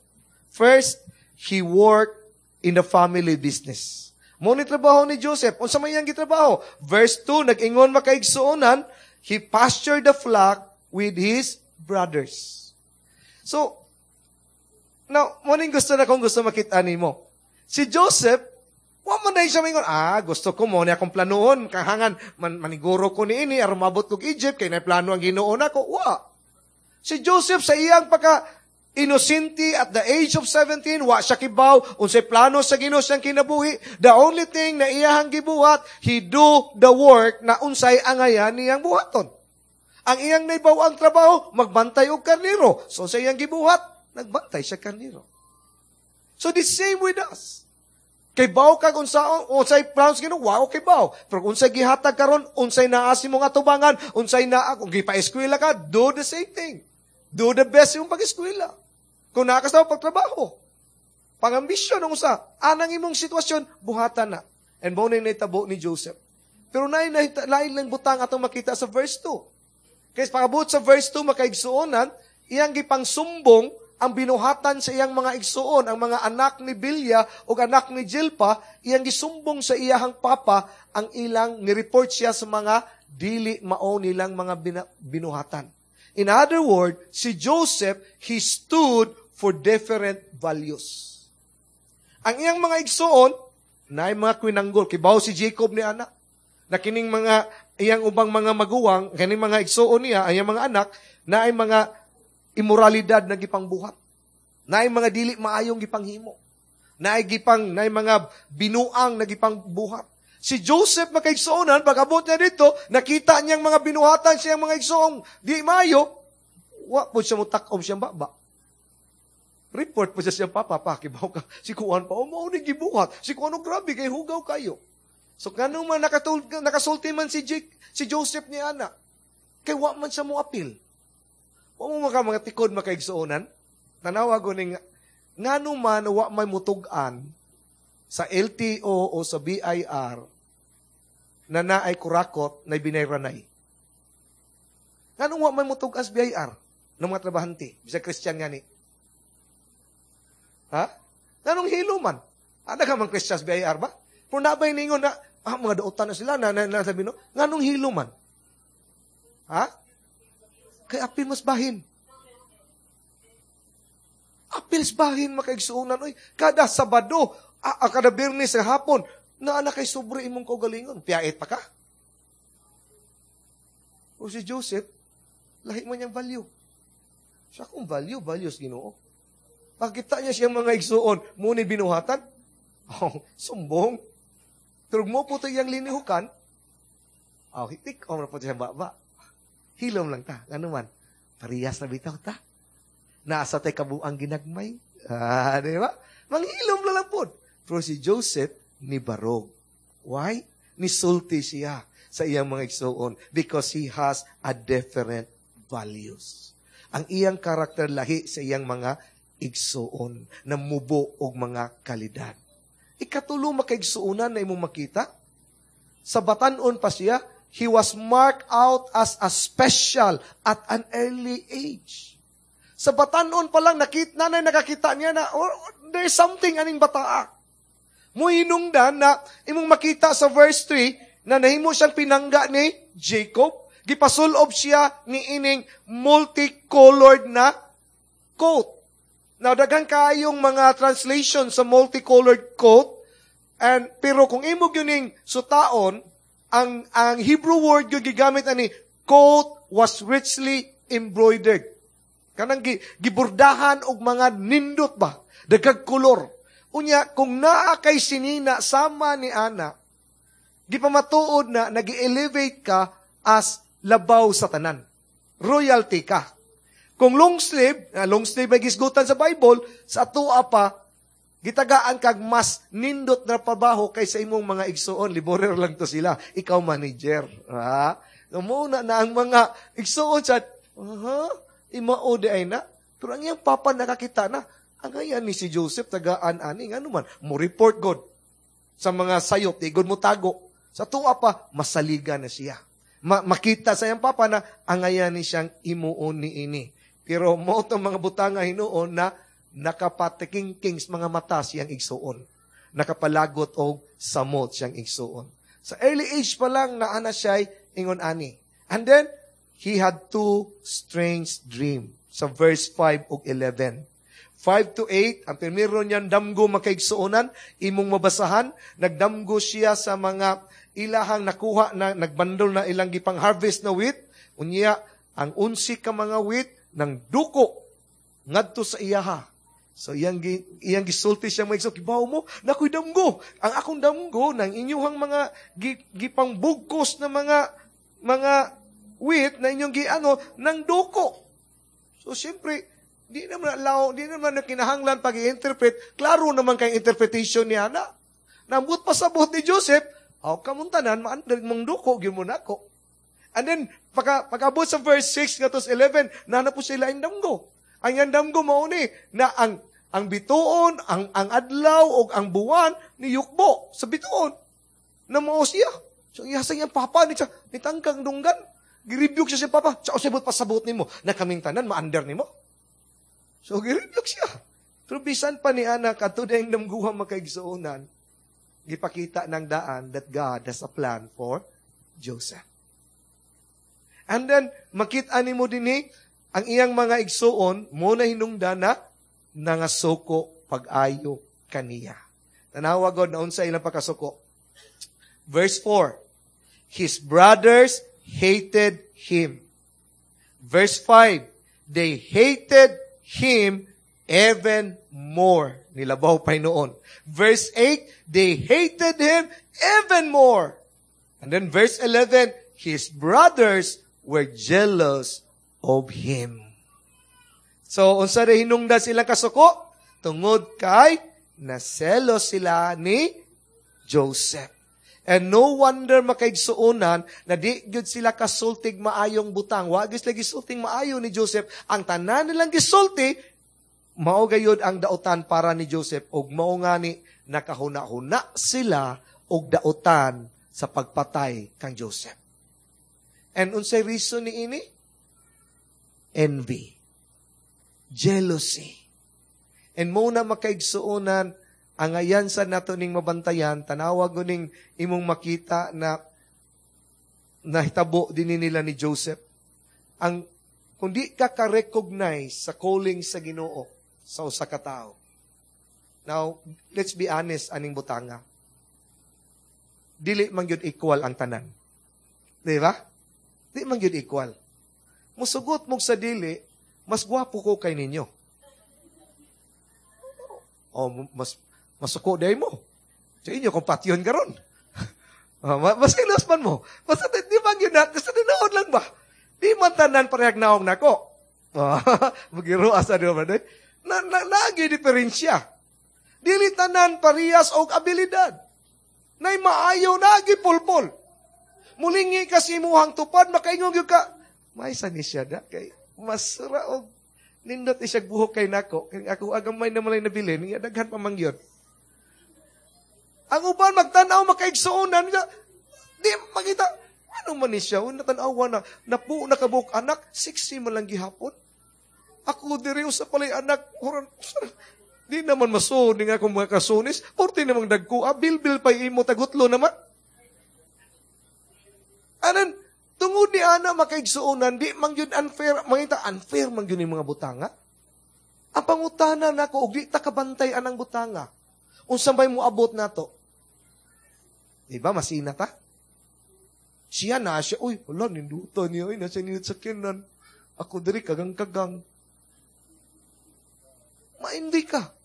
First, he worked in the family business. Mao ni trabaho ni Joseph. Unsa may iyang gitrabaho? Verse 2, nag-ingon, makaigsuonan, he pastured the flock with his brothers. So, now, mao ning gusto na kung gusto makita nimo. Si Joseph, wa man na siya mingon, "Ah, gusto ko mao ni akong planoon, kahangan, man, maniguro ko ni ini, aron mabot kog Egypt, kay na plano ang Ginoo nako." Wa. Si Joseph sa iyang pagka inosente at the age of 17, wa siya kibaw unsay plano sa Ginoo siyang kinabuhi. The only thing na iyahang gibuhat, he do the work na unsay angayan niyang buhaton. Ang iyang naibaw ang trabaho, magbantay og karniro. So sa iyang gibuhat, nagbantay siya karniro. So the same with us. Kay baw kag unsa unsay plano sa Ginoo, wa kay baw. Pero kung unsay gihatag karon, unsay naa sa imong atubangan, unsay naa kung gipa-eskwela ka, do the same thing. Do the best imong pag-eskwela. Kung naa ka sa pagtrabaho, pangambisyon ang usa, anang imong sitwasyon, buhatan na. And mao na nahitabo ni Joseph. Pero naay lain lang butang atong makita sa verse 2. Kaya pag-abot sa verse 2, makaigsuonan, iyang gipangsumbong ang binuhatan sa iyang mga igsuon, ang mga anak ni Bilya o anak ni Jilpa, iyang gisumbong sa iyahang papa ang ilang ni-report siya sa mga dili mao nilang mga binuhatan. In other words, si Joseph, he stood for different values. Ang iyang mga igsuon, na mga kwinanggol, kibaw si Jacob ni anak, na kining mga iyang ubang mga maguwang, kining mga igsuon niya, ang iyang mga anak, na ay mga imoralidad na gipangbuhat. Naay mga dili maayong gipanghimo. Naay mga binuang na gipangbuhat. Si Joseph, makaigsuonan, pag-abot niya dito, nakita niyang mga binuhatan siyang mga igsoong di maayo, wa po siya mutakom siyang baba. Report po siya siyang papa, "Pa, kibaw ka, si Kuan pa, oh, mao ni gibuhat. Si Kuan, oh, grabe, kay hugaw kayo." So, ngano man nakasulti man si Joseph ni ana, kay wa man siya mo apil. Wa mo maka mga tikod, makaigsuonan. Tanawa ko ning ngano man wa may mutug-an sa LTO o sa BIR na naay kurakot na binayranay. Ngano wa may mutug-an sa BIR ng mga trabahante, bisag Christian gani? Ha? Nganong hilo man? Ada ka man Christian sa BIR ba? Pero nabay ningon na, ah, mga dautan na sila, na sabi no, nganong hilo man? Ha? Kay apil mas bahin. Apil bahin, makaigsuonan. Oy, kada Sabado, kada Biyernes sa hapon, naa na kay sobre imong kaugalingon. Piyait pa ka. O si Joseph, lahi man niyang value. Siya kung value, values Ginoo. Pagkita niya siyang mga igsuon, muni binuhatan, oh, sumbong. Pero mo po ito iyang linihukan, oh, hitik, oh, po siyang baba. Hilom lang ta. Ano man, parehas na bitaw ta. Nasa tay kabuang ginagmay. Ah, di ba? Manghilom na lang po. Pero si Joseph, ni barog. Why? Nisulti siya sa iyang mga igsuon because he has a different values. Ang iyang karakter lahi sa iyang mga igsuon na mubo og mga kalidad. Ikatulo, makaigsuonan, na imong makita, sa batanon pa siya, he was marked out as a special at an early age. Sa batanon pa lang, nakita, nanay nakakita niya na oh, there's something aning bataa. Muhinungdan na imong makita sa verse 3 na nahimo siyang pinangga ni Jacob. Gipasulob siya ni ining multicolored na coat. Now, daghan kaayong mga translation sa multicolored coat. And, pero kung imo gyuning sutaon, ang Hebrew word yung gigamit ani, coat was richly embroidered. Kanang giburdahan og mga nindot ba? Dagag kolor. Unya, kung naa kay sinina sama ni ana, gipamatuod na nagi-elevate ka as labaw sa tanan. Royalty ka. Kung long sleeve may gisgutan sa Bible, sa atua pa, gitagaan kag mas nindot na trabaho kaysa imong mga igsuon. Laborer lang to sila. Ikaw manager. Ha? Muna na ang mga igsuon sa, imao di ay na. Pero ang iyang papa nakakita na, ang ayan ni si Joseph, tagaan ani, ngano man, mo report God sa mga sayop, di God mo tago. Sa tuwa pa, masaliga na siya. Makita sa iyang papa na ang ayan ni siyang imuon ni ini. Pero mo itong mga butanga hinuon na nakapatikingking sa mga mata siyang igsuon. Nakapalagot og samot siyang igsuon. Sa early age pa lang na ana siya'y ingon ani. And then, he had two strange dream sa verse 5 ug 11. 5 to 8, ang primero niyan damgo makaigsuonan, imong mabasahan, nagdamgo siya sa mga ilahang nakuha na nagbandol na ilang gipang harvest na wheat, unya ang 11 ka mga wheat nang duko ngadto sa iyaha. So iyang gisulti siya mga igsoon, kibaw mo, nakoy damgo. Ang akong damgo nang inyuhang mga gipangbugkos na mga wheat na inyong giano nang duko. So siyempre, di naman allow, di naman na kinahanglan pag-i-interpret. Klaro naman kay interpretation niya na. Nambut pa sa buot ni Joseph, aw kamong tanan, maandar mong duko, gyud mo nako. And then, pagkaabot sa verse 6 ngadto sa 11, nana po sila ang damgo. Ang iyang damgo mao ni na ang bituon, ang adlaw o ang buwan ni yukbo sa bituon. Na mao siya. So iya sa iyang papa ni siya, ni tangkang dunggan. Girebuke siya sa papa. Sa usay pasabot nimo na kaming tanan maander nimo. So girebuke siya. Pero bisan pa ni ana kadto dayang damguha makaigsuonan, gipakita ng daan that God has a plan for Joseph. And then, makita nimo dinhi, ang iyang mga igsuon, mo na hinungdan na nangasuko pag-ayo kaniya. Tanawa God na unsa ilang pagkasuko. Verse 4, his brothers hated him. Verse 5, they hated him even more. Nilabaw pa noon. Verse 8, they hated him even more. And then verse 11, his brothers were jealous of him. So, unsa rin hinungdan silang kasuko? Tungod kay naselos sila ni Joseph. And no wonder makaigsuonan na di gyud sila kasultig maayong butang. Wa gyud sila gisulting maayo ni Joseph. Ang tanan nilang gisulti, mao gayud ang dautan para ni Joseph ug mao ngani nakahuna-huna sila og dautan sa pagpatay kang Joseph. And unsay reason ni ini? Envy. Jealousy. And mo na makaigsuonan, ang ayan sa nato ning mabantayan, tanawag ning imong makita na nahitabo din nila ni Joseph. Ang kung di ka ka-recognize sa calling sa Ginoo sa usa ka tawo. Now, let's be honest aning butanga. Dili man gyud equal ang tanan. Di ba? Di man gyud equal. Musugot mo sa dili, mas gwapo ko kay ninyo. O mas masuko day mo. Sa inyo, kung patyon karon. Mas ilos man mo. Basta di man yun na, basta tinuod lang ba? Di man tanan parehag naong nako. Magiroa sa di ba? Na, diferensya. Dili tanan parehas og abilidad. Nay maayo nagi pulpol. Mulingi ka sa imuhang tupad, makaingon gyud ka, may sa ni siya da, kay masura og nindot isya buhok kay nako. Kay ako agamay na malay nabilin, niya daghan pa man gyud. Ang uban magtan-aw makaigsuonan, di makita, ano man ni siya, una tan-awa na, napu nakabuok anak, 60 man lang gihapon. Ako diri usa palay anak, oran, di naman masuod nga akong mga kasunis, porti namang dagko, ah, bilbil pa imo tagutlo naman. Anan, tungod ni ana, makaigsuonan, di man yun unfair, mangita unfair man yun yung mga butanga. Ang pangutana nako, og di ta kabantay anang butanga, unsa may moabot nato? Di ba, masina ta? Siya na siya, uy, wala, ninduta niya, uy, nasa nindot sa kinan. Ako diri, kagang-kagang. Ma-envy ka.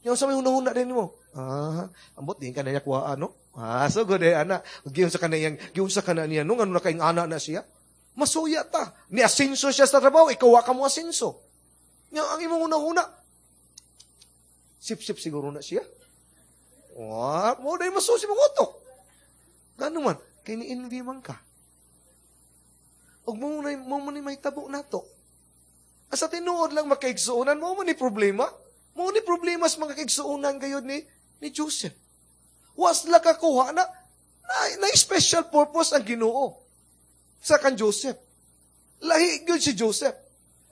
Yung sa may hunahuna din mo. Ah, ambot din ka na niya kuha, ano? Ah, so good eh, ana. Giyon sa ka na niya, nung ano na kayong ana na siya. Masuya ta. Ni asinso siya sa trabaho, ikaw wa ka mo asinso. Nga, ang imong hunahuna, sip-sip siguro na siya. Wa, mo dahil masusi mong utok. Gano man, kay ni-envy man ka. Ug mo ni may tabo nato. Asa tinuod lang, makaigsuonan, mo man ni problema. Mo ni problema sa mga kaigsuonan gayod ni Joseph. Was la kakuha na special purpose ang Ginoo sa kan Joseph. Lahi gyud si Joseph.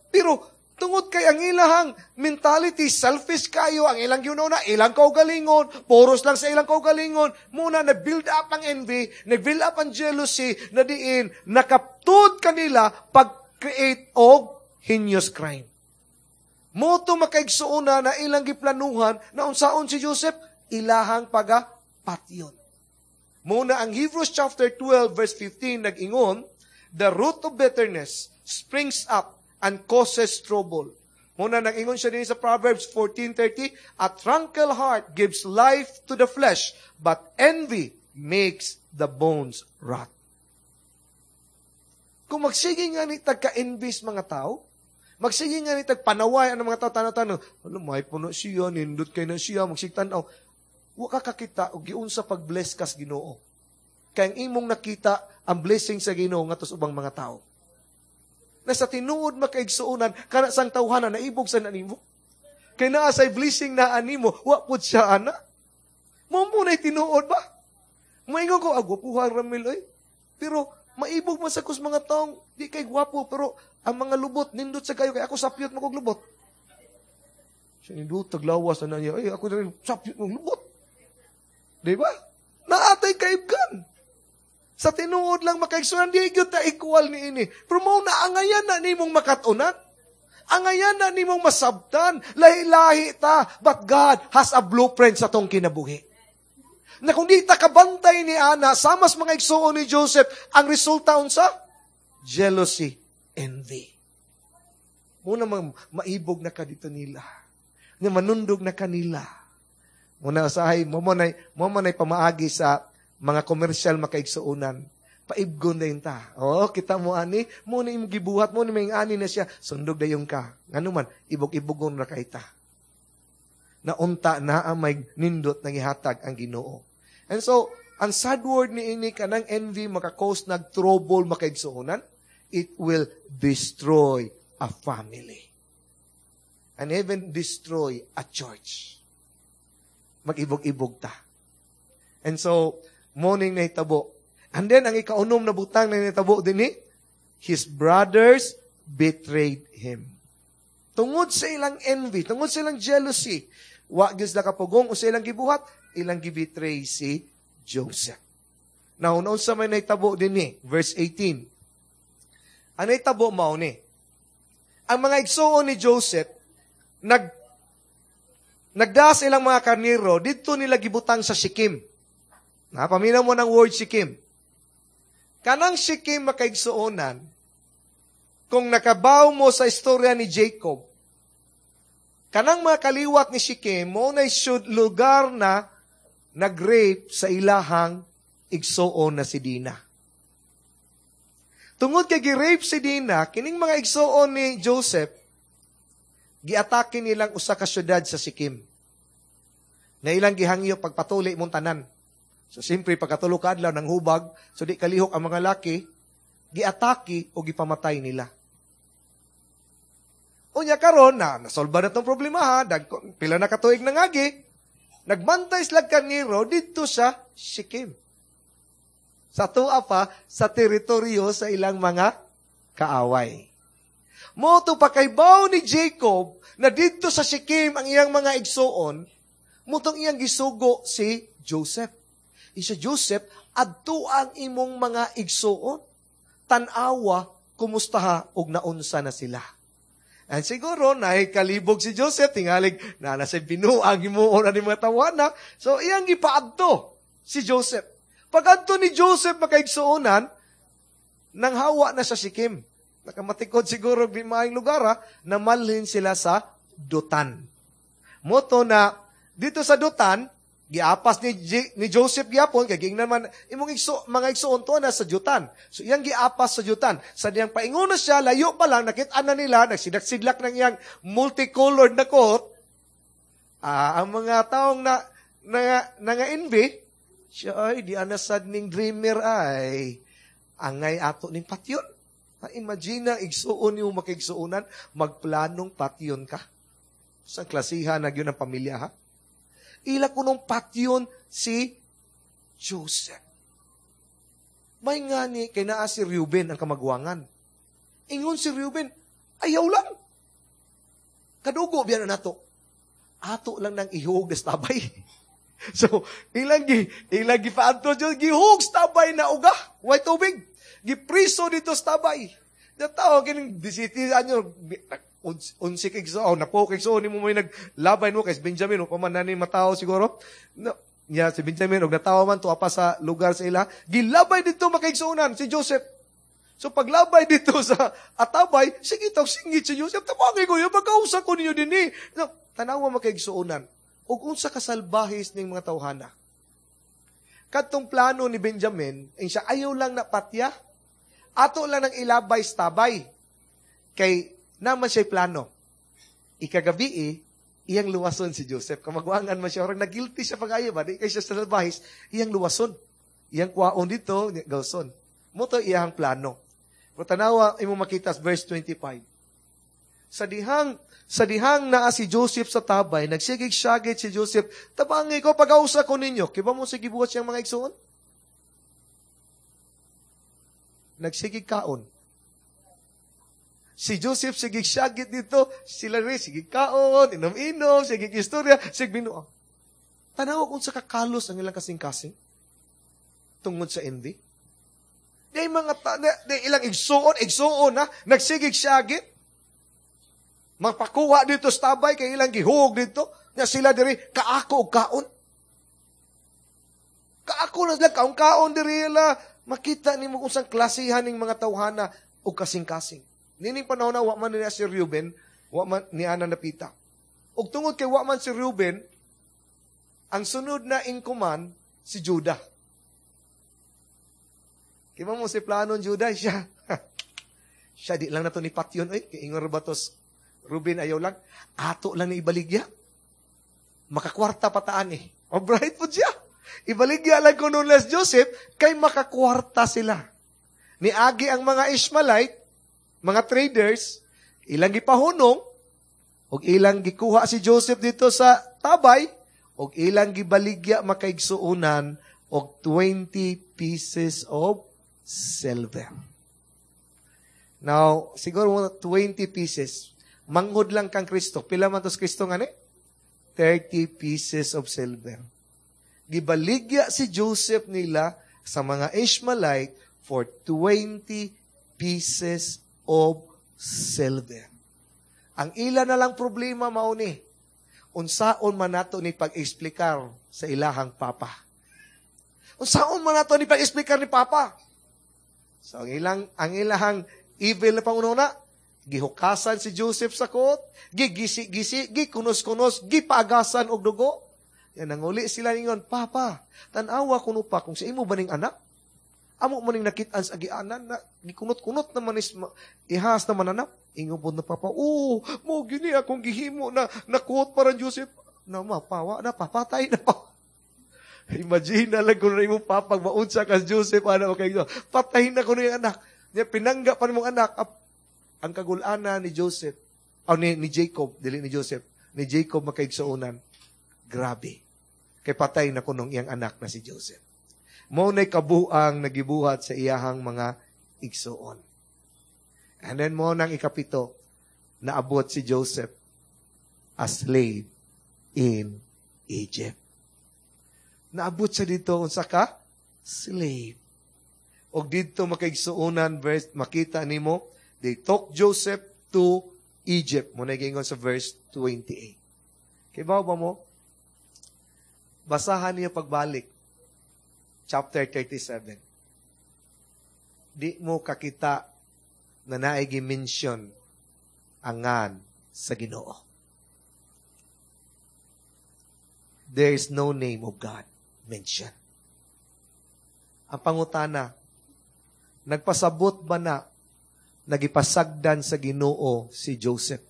Pero tungod kay ang ilahang mentality, selfish kayo, ang ilang na, ilang kaugalingon, puros lang sa ilang kaugalingon, muna na-build up ang envy, na-build up ang jealousy, na diin, nakaptud kanila pag-create og heinous crime. Mo to, makaigsuona, na ilang giplanuhan na unsaon si Joseph, ilahang paga patyon. Muna ang Hebrews chapter 12 verse 15 nag-ingon, "The root of bitterness springs up and causes trouble." Muna nag-ingon siya din sa Proverbs 14:30, "A tranquil heart gives life to the flesh, but envy makes the bones rot." Kung magsige nga ni tagka-envy mga tao, magsige nga ni tagpanaway ang mga tao, tanaw-tanaw, alam, may puno siya, nindot kay na siya, magsigtanaw, wa ka kakita og giunsa pag-bless kas Ginoo. Kay ang imong nakita ang blessing sa Ginoo ngadto sa ubang mga tao. Na sa tinuod, makaigsuonan, kana sang tawhana naibog sa nanimo. Kay naa say blessing na animo, wa pud siya ana. Mo mo na tinuod ba? Moingon ko, ah, gwapuhan Ramil oy. Pero maibog man sa kus mga taong di kay gwapo, pero ang mga lubot nindot sa kayo kay ako sapyot mo kog lubot. Siya nindot taglawas na niya, ay ako rin sapyot mong lubot. Di ba? Naatay kaibgan. Sa tinuod lang, makaigsunan, di gyud ta equal ni ini. Pero mao na angayan na nimong makatunan. Angayan na nimong masabtan. Lahi-lahi ta. But God has a blueprint sa tong kinabuhi. Na kung di ta kabantay ni ana, samas mga igsuon ni Joseph, ang resulta unsa? Jealousy, envy. Muna maibog na ka dito nila. Nga manundog na kanila. Muna usahay, mo man pamaagi sa mga komersyal, makaigsuonan. Paibgon na ta. Oh, kita mo ani, mo na imong gibuhat, mo ni may ani na siya, sundog dayon ka. Ngano man, ibog-ibogon ra kay ta. Na unta na ang may nindot nang ihatag ang Ginoo. And so, ang sad word ni ini kanang envy maka-cause nag trouble, makaigsuonan, it will destroy a family. And even destroy a church. Mag-ibog-ibog ta. And so, morning na itabo. And then, ang ikaunom na butang na nahitabo din ni, his brothers betrayed him. Tungod sa ilang envy, tungod sa ilang jealousy, wa gyud sila kapugong o sa ilang gibuhat, ilang gibetray si Joseph. Now, unsa may nahitabo din ni, verse 18. Ang nahitabo mao ni, ang mga igsuon ni Joseph, nagdas ilang mga karniro, dito nila gibutang sa Shechem. Napaminaw mo ng word Shechem. Kanang Shechem, makaigsuonan, kung nakabaw mo sa istorya ni Jacob, kanang mga kaliwat ni Shechem, mo na should lugar na nag-rape sa ilahang igsuon na si Dina. Tungod kay gi-rape si Dina, kining mga igsuon ni Joseph, giatake nilang usa ka syudad sa Shechem. Na ilang gihangyo pagpatuli mong tanan. So siyempre pagkatulo ka adlaw nang hubag, so di kalihok ang mga laki, giatake o gipamatay nila. Unya karon na nasolba na tong problema ha, dag, pila na katuig na ngagi, nagbantay sila karniro didto sa Shechem. Sa tuwa pa sa teritoryo sa ilang mga kaaway. Mao to pakaybaw ni Jacob na didto sa Shechem ang iyang mga igsuon, mao tong iyang gisugo si Joseph. Isa Joseph, adto ang imong mga igsuon. Tan-awa, kumustaha og naunsa na sila. And siguro, nahikalibog si Joseph, tingalig, na nasa binuang himuon na ni mga tawana. So, iyang gipaadto si Joseph. Pag-adto ni Joseph makaigsuonan, nang hawa na sa Shechem. Nakamatikod siguro di maayong lugar, ha, namalhin sila sa Dotan. Moto na, dito sa Dotan, giapas ni Joseph gyapon, kay giingnan man, imong mga igsuon to na sa Dotan. So, iyang giapas sa Dotan. Sa diyang paingon na siya, layo pa lang, nakit-an na nila, nagsidlak-sidlak ng iyang multicolored na coat. Ang mga taong na nga envy, siya ay, di anasad ning dreamer ay, angay ato ning patyon. Imagine na, igsuon niyo makigsuonan, magplanong patyon ka. Sa klasihan na yun ang pamilya, ha? Ila kunong patyon si Joseph. May nga ni, kay naa si Reuben ang kamagwangan. Ingon si Reuben, ayaw lang. Kadugo biyan na nato. Ato lang nang ihug sa tabay. So, ilang gi paadto Diyos, gihug sa tabay na uga. Way tubig. Gipriso dito sa tabay. Tao, kining disiti, ano, unsi kay so, oh, napo kay so, ni mo may naglabay mo kay Benjamin, o paman na ni matao siguro. No, niya si Benjamin, og natawa man, tuwa pa sa lugar sa ila. Gilabay dito makaigsuonan si Joseph. So paglabay dito sa atabay, sige tawag singit si Joseph, tabangay ko, yung pagkausa ko ninyo din eh. No, tanawa makaigsuonan. Og unsa kasalbahis ning mga tawhana. Kadtong plano ni Benjamin, ang siya ayaw lang na patya, ato lang nang ilabay sa tabay. Kay naman siya'y plano. Ikagabi eh, iyang luwason si Joseph. Kamagwangan man siya, orang nagilty siya pag-ayo ba? Di kay siya sa salbahis, iyang luwason. Iyang kwaon dito, gawson. Mo to iyang plano. Pero tanawa, imo makita sa verse 25. Sa dihang naa si Joseph sa tabay, nagsigig syagit si Joseph, tabangi ko, pag-ausa ko ninyo. Kiba mo sige buhat siyang mga igsoon? Nagsigig kaon. Si Joseph sigig syagit dito, sila rin, sigig kaon, inom-inom, sigig istorya, sigig binuang. Tanawa kung sa kakalos ang ilang kasing-kasing tungod sa envy. Di mga di ilang igsuon, igsuon na, nagsigig syagit. Magpakuha dito sa tabay, kay ilang gihug dito, na sila diri, kaako og kaon. Kaako na sila, kaon-kaon diri la. Makita nimo kung saan klasihan ning mga tawhana og kasing-kasing. Nining panahon na, wa man niya si Reuben, wa man ni Ana napita. Og tungod kay wa man si Reuben, ang sunod na in command, si Judah. Kima mo si plano ni Judah, siya. Siya, di lang na to ni Patyon, oy, kay ingon ba tos Reuben, ayaw lang. Ato lang ni ibaligya. Makakwarta pataan eh. O bright po siya. Ibaligya lang ko nun les Joseph, kay makakwarta sila. Niagi ang mga Ishmaelite, mga traders, ilang gipahunong, og ilang gikuha si Joseph dito sa tabay, og ilang gibaligya makaigsuonan, og 20 pieces of silver. Now, siguro 20 pieces. Manghod lang kang Kristo. Pila man tos Kristo nga ni? 30 pieces of silver. Gibaligya si Joseph nila sa mga Ishmaelite for 20 pieces of silver. Ang ila na lang problema mao ni, unsaon man nato ni pag-eksplikar sa ilahang papa. Unsaon man nato ni pag-eksplikar ni papa. So ang ilahang evil na panguna, gihukasan si Joseph sa coat, gigisi-gisi, gikunos-kunos, gipaagasan og dugo. Yan, nanguli sila ningon, Papa, tanawa kuno pa kung sa imo ba ning anak? Amo mo ning nakit-an sa agianan na gikunot-kunot naman is ihas naman anak. Ingon po na Papa, oh, mo gini akong gihimo na nakuot para Joseph. Na mapawa na, papatay na pa. Imagine na lang kung na imong papa, maunsa ka Joseph, ano, okay, patayin na ko yung anak. Niya, pinangga pa nimong anak. Ang kagulana ni Joseph, o ni Jacob, dili ni Joseph, ni Jacob makaigsuonan. Grabe. Kay patay na kunong iyang anak na si Joseph. Mao na'y kabuang nagibuhat sa iyahang mga igsuon. And then mao nang ikapito, naabot si Joseph a slave in Egypt. Naabot siya didto unsa ka? Slave. Og didto, makaigsuonan, verse, makita nimo, they took Joseph to Egypt. Mao na giingon sa verse 28. Kibaw ba mo? Basahan niyo pagbalik. Chapter 37. Di mo kakita na naay gi-mention ang ngan sa Ginoo. There is no name of God mentioned. Ang pangutana, nagpasabot ba na nagipasagdan sa Ginoo si Joseph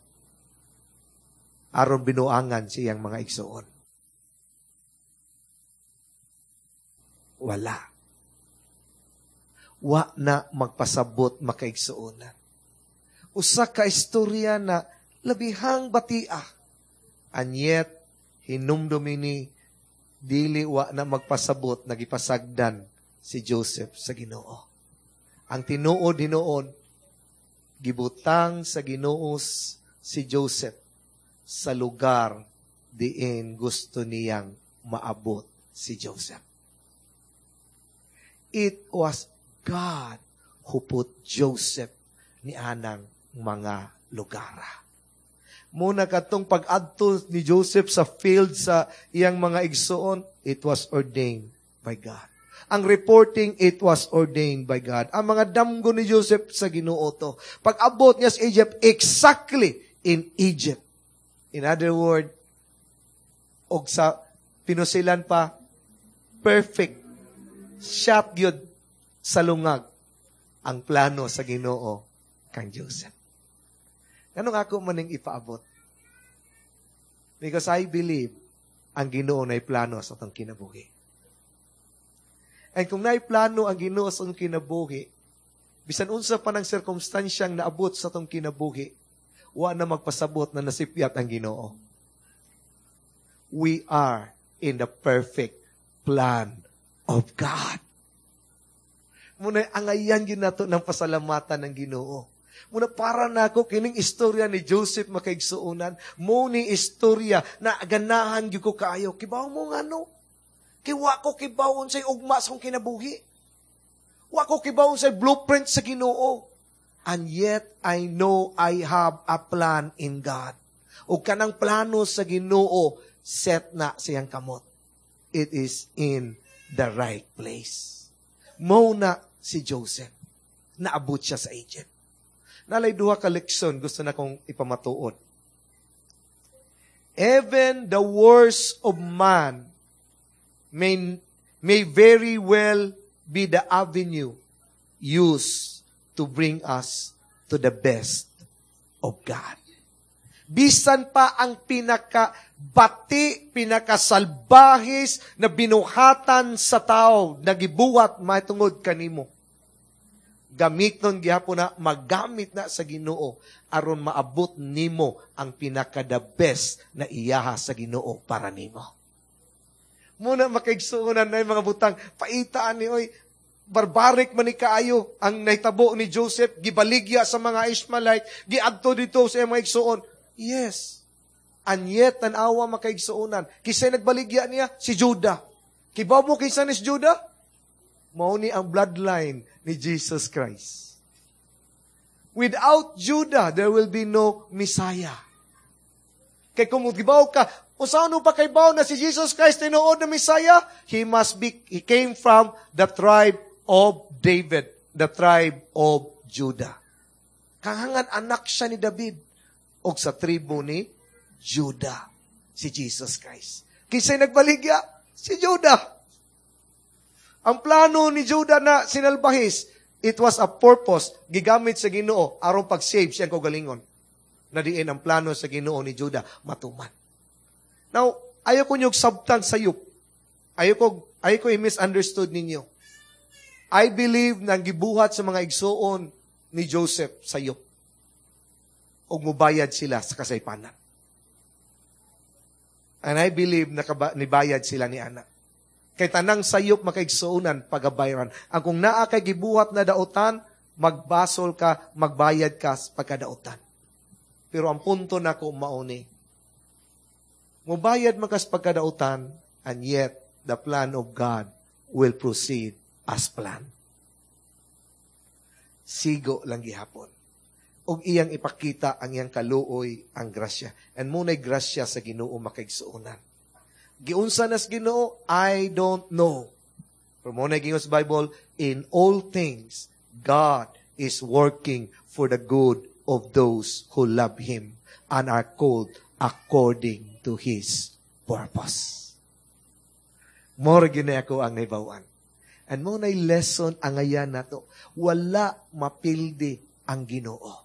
aron binuangan siyang mga igsoon? Wala. Wa na magpasabot, makaigsuonan. Usa ka istorya na labihang batia. And yet, hinumdumi ni dili wa na magpasabot nagipasagdan si Joseph sa Ginoo. Ang tinuod hinuon, gibutang sa Ginoo si Joseph sa lugar diin gusto niyang maabot si Joseph. It was God who put Joseph ni anang mga lugara. Muna katong pag-adto ni Joseph sa field sa iyang mga igsoon, it was ordained by God. Ang reporting, it was ordained by God. Ang mga damgo ni Joseph, sa Ginoo to. Pag-abot niya sa Egypt, exactly in Egypt. In other word, og sa pinusilan pa, perfect shot gyud sa lungag ang plano sa Ginoo kang Joseph. Nganong ako maning ipaabot? Because I believe ang Ginoo na plano sa atong kinabuhi. And kung naay plano ang Ginoo sa atong kinabuhi, bisan unsa pa ng sirkumstansyang naabot sa atong kinabuhi, wa na magpasabot na nasipyat ang Ginoo. We are in the perfect plan of God. Muna angayan gyud nato ng pasalamatan ng Ginoo. Muna para nako kining istorya ni Joseph, makaigsuonan, mao ni istorya na ganahan gyud ko kaayo. Kibaw mo ngano? Kay wa ko kibaw unsay ugma sa akong kinabuhi. Wa ko kibaw unsay blueprint sa Ginoo. And yet I know I have a plan in God. O kanang plano sa Ginoo, set na siyang kamot. It is in the right place. Mao na si Joseph. Naabot siya sa Egypt. Nalay duha ka leksyon gusto na kong ipamatuod. Even the worst of man may very well be the avenue used to bring us to the best of God. Bisan pa ang pinaka-bati, pinakasalbahis na binuhatan sa tao, nagibuhat mahitungod kanimo, gamiton gihapon na, magamit na sa Ginoo aron maabot nimo ang pinaka the best na iyaha sa Ginoo para nimo. Muna, makaigsuonan, na mga butang paitaan ni oy barbaric man ni kaayo ang nahitabo ni Joseph, gibaligya sa mga Ishmaelite, giadto didto sa mga igsuon. Yes. And yet, tan-awa, makaigsuonan. Kisay nagbaligya niya? Si Judah. Kibaw mo kinsa ni si Judah? Mao ni ang bloodline ni Jesus Christ. Without Judah, there will be no Messiah. Kay kung kibaw ka, unsaon pa kaybaw na si Jesus Christ tinuod na Messiah? He came from the tribe of David, the tribe of Judah. Kahangan anak siya ni David og sa tribo ni Judah, si Jesus Christ. Kinsay nagbaligya? Si Judah. Ang plano ni Judah na sinalbahis, it was a purpose gigamit sa Ginoo aron pag-save siyang kaugalingon. Na diin ang plano sa Ginoo ni Judah matuman. Now, ayaw ko niyog sabtan sayop. Ayaw ko i-misunderstood ninyo. I believe na ang gibuhat sa mga igsuon ni Joseph sayop. Og mubayad sila sa kasaypanan. And I believe na nibayad sila ni ana. Kay tanang sayop, makaigsuonan, pagabayaran. Ang kung naa kay gibuhat na daotan, Magbasol ka, magbayad ka sa pagkadautan. Pero ang punto nako mauni, mubayad man kas pagkadautan, and yet the plan of God will proceed as planned. Sigo lang gihapon. Og iyang ipakita ang iyang kaluoy, ang grasya. And mao na'y grasya sa Ginoo, makaigsuonan. Giunsa nas Ginoo, I don't know. Pero mao na'y giingon sa Bible, in all things, God is working for the good of those who love Him and are called according to His purpose. Mao gyud ako ang nahibaw-an. And mao na'y lesson ang angayan nato. Wala mapildi ang Ginoo.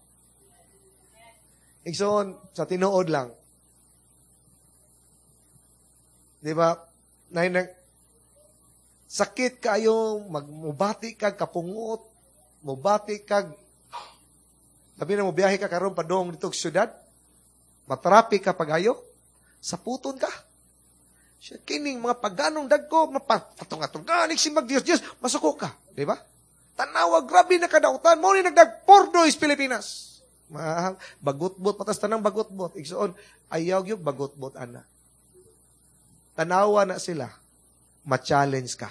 Igsoon, sa tinuod lang. Di ba? Nay, sakit kayo, magmubati kag kapungot, mubati kag, labi na mo biyahe ka karon padong dito sa syudad, matraffic ka pagayo, saputon ka. Siya, kining mga paganong dagko, mapatong-atong si mag Dios Dios, masuko ka, di ba? Tanawa, grabe na kadautan, mao ni nagdag pordo is Pilipinas. Ma, bagutbot, patas tanang bagutbot. Igsoon, ayaw yung bagutbot, ana. Tanawa na sila, ma-challenge ka.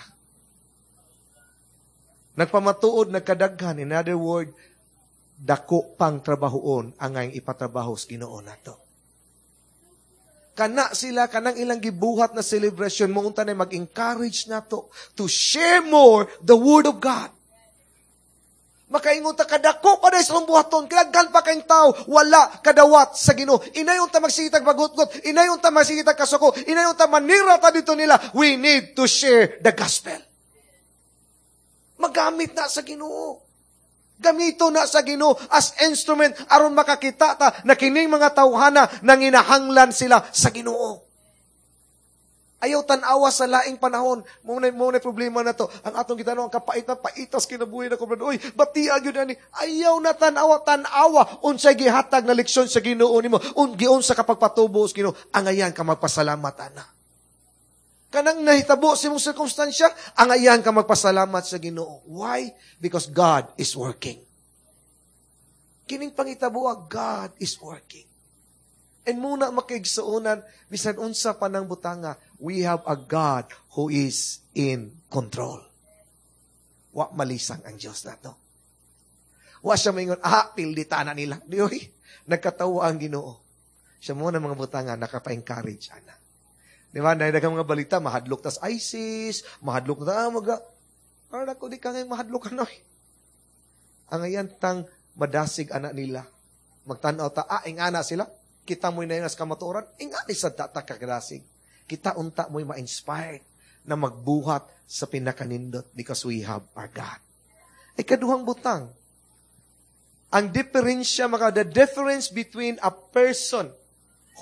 Nagpamatuod, nagkadaghan. In other word, dako pang trabahoon ang ngayong ipatrabaho sa Ginoo nato. Kana sila, kanang ilang gibuhat na celebration, mo unta na mag-encourage nato to share more the Word of God. Makaingon ta kadako pa sa buhaton, kadaghan pa kayong tao, wala kadawat sa Ginoo. Inayon ta magsigitag bagutgot, inayon ta magsigitag kasuko, inayon ta manira ta dito nila. We need to share the gospel. Magamit na sa Ginoo. Gamito na sa Ginoo as instrument aron makakita ta na kining mga tawhana nanginahanglan sila sa Ginoo. Ayaw tan-awa sa laing panahon. Mao na problema na to. Ang atong gitanaw, ang kapait na paitas kinabuhi na ko, brad. Uy, bati gyud ani. Ayaw na tan-awa, tan-awa. Unsay gihatag na leksyon sa Ginoo nimo. Giunsa ka pagpatubo sa Ginoo. Angayan ka magpasalamat ana. Kanang nahitabo sa imong sirkumstansya, angayan ka magpasalamat sa Ginoo. Why? Because God is working. Kining pangitabo, God is working. And mao na, makaigsuonan, bisan unsa pa ng butanga, we have a God who is in control. Wa malisang ang Diyos nato. Wa siya maingon, "Ah, pildita na nila." Di oy, nagkatawa ang Ginoo. Siya mao na mga butanga, nakapa-encourage, ana. Di ba, dahil mga balita, mahadlok tas ISIS, mahadlok ta, maga, para ko di ka ngayon mahadlok ano. Angayan tang madasig anak nila. Magtanaw ta, ah, ingana sila, kita mo'y na sa kamatuoran, ingani sa data kakadasig. Kita unta mo'y ma-inspired na magbuhat sa pinakanindot because we have our God. Ikaduhang butang, ang diferensya, maka, the difference between a person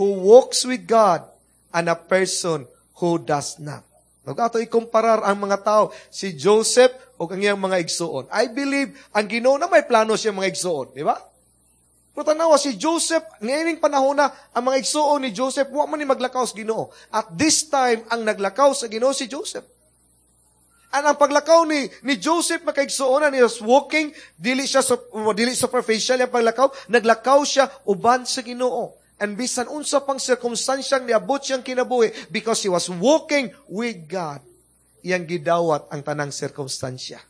who walks with God and a person who does not. Ug ato ikumparar ang mga tao, si Joseph o ang iyang mga igsuon. I believe ang Ginoo na may plano siya mga igsuon, di ba? Pero tanawa si Joseph, ngayong panahon na, ang mga igsuon ni Joseph, wa man ni maglakaw sa Ginoo. At this time, ang naglakaw sa Ginoo si Joseph. And ang paglakaw ni Joseph, makaigsuonan, he was walking, dili superficial ang paglakaw, naglakaw siya uban sa Ginoo. And bisan unsa pang sirkumstansyang niabot siyang kinabuhi, because he was walking with God, iyang gidawat ang tanang sirkumstansya.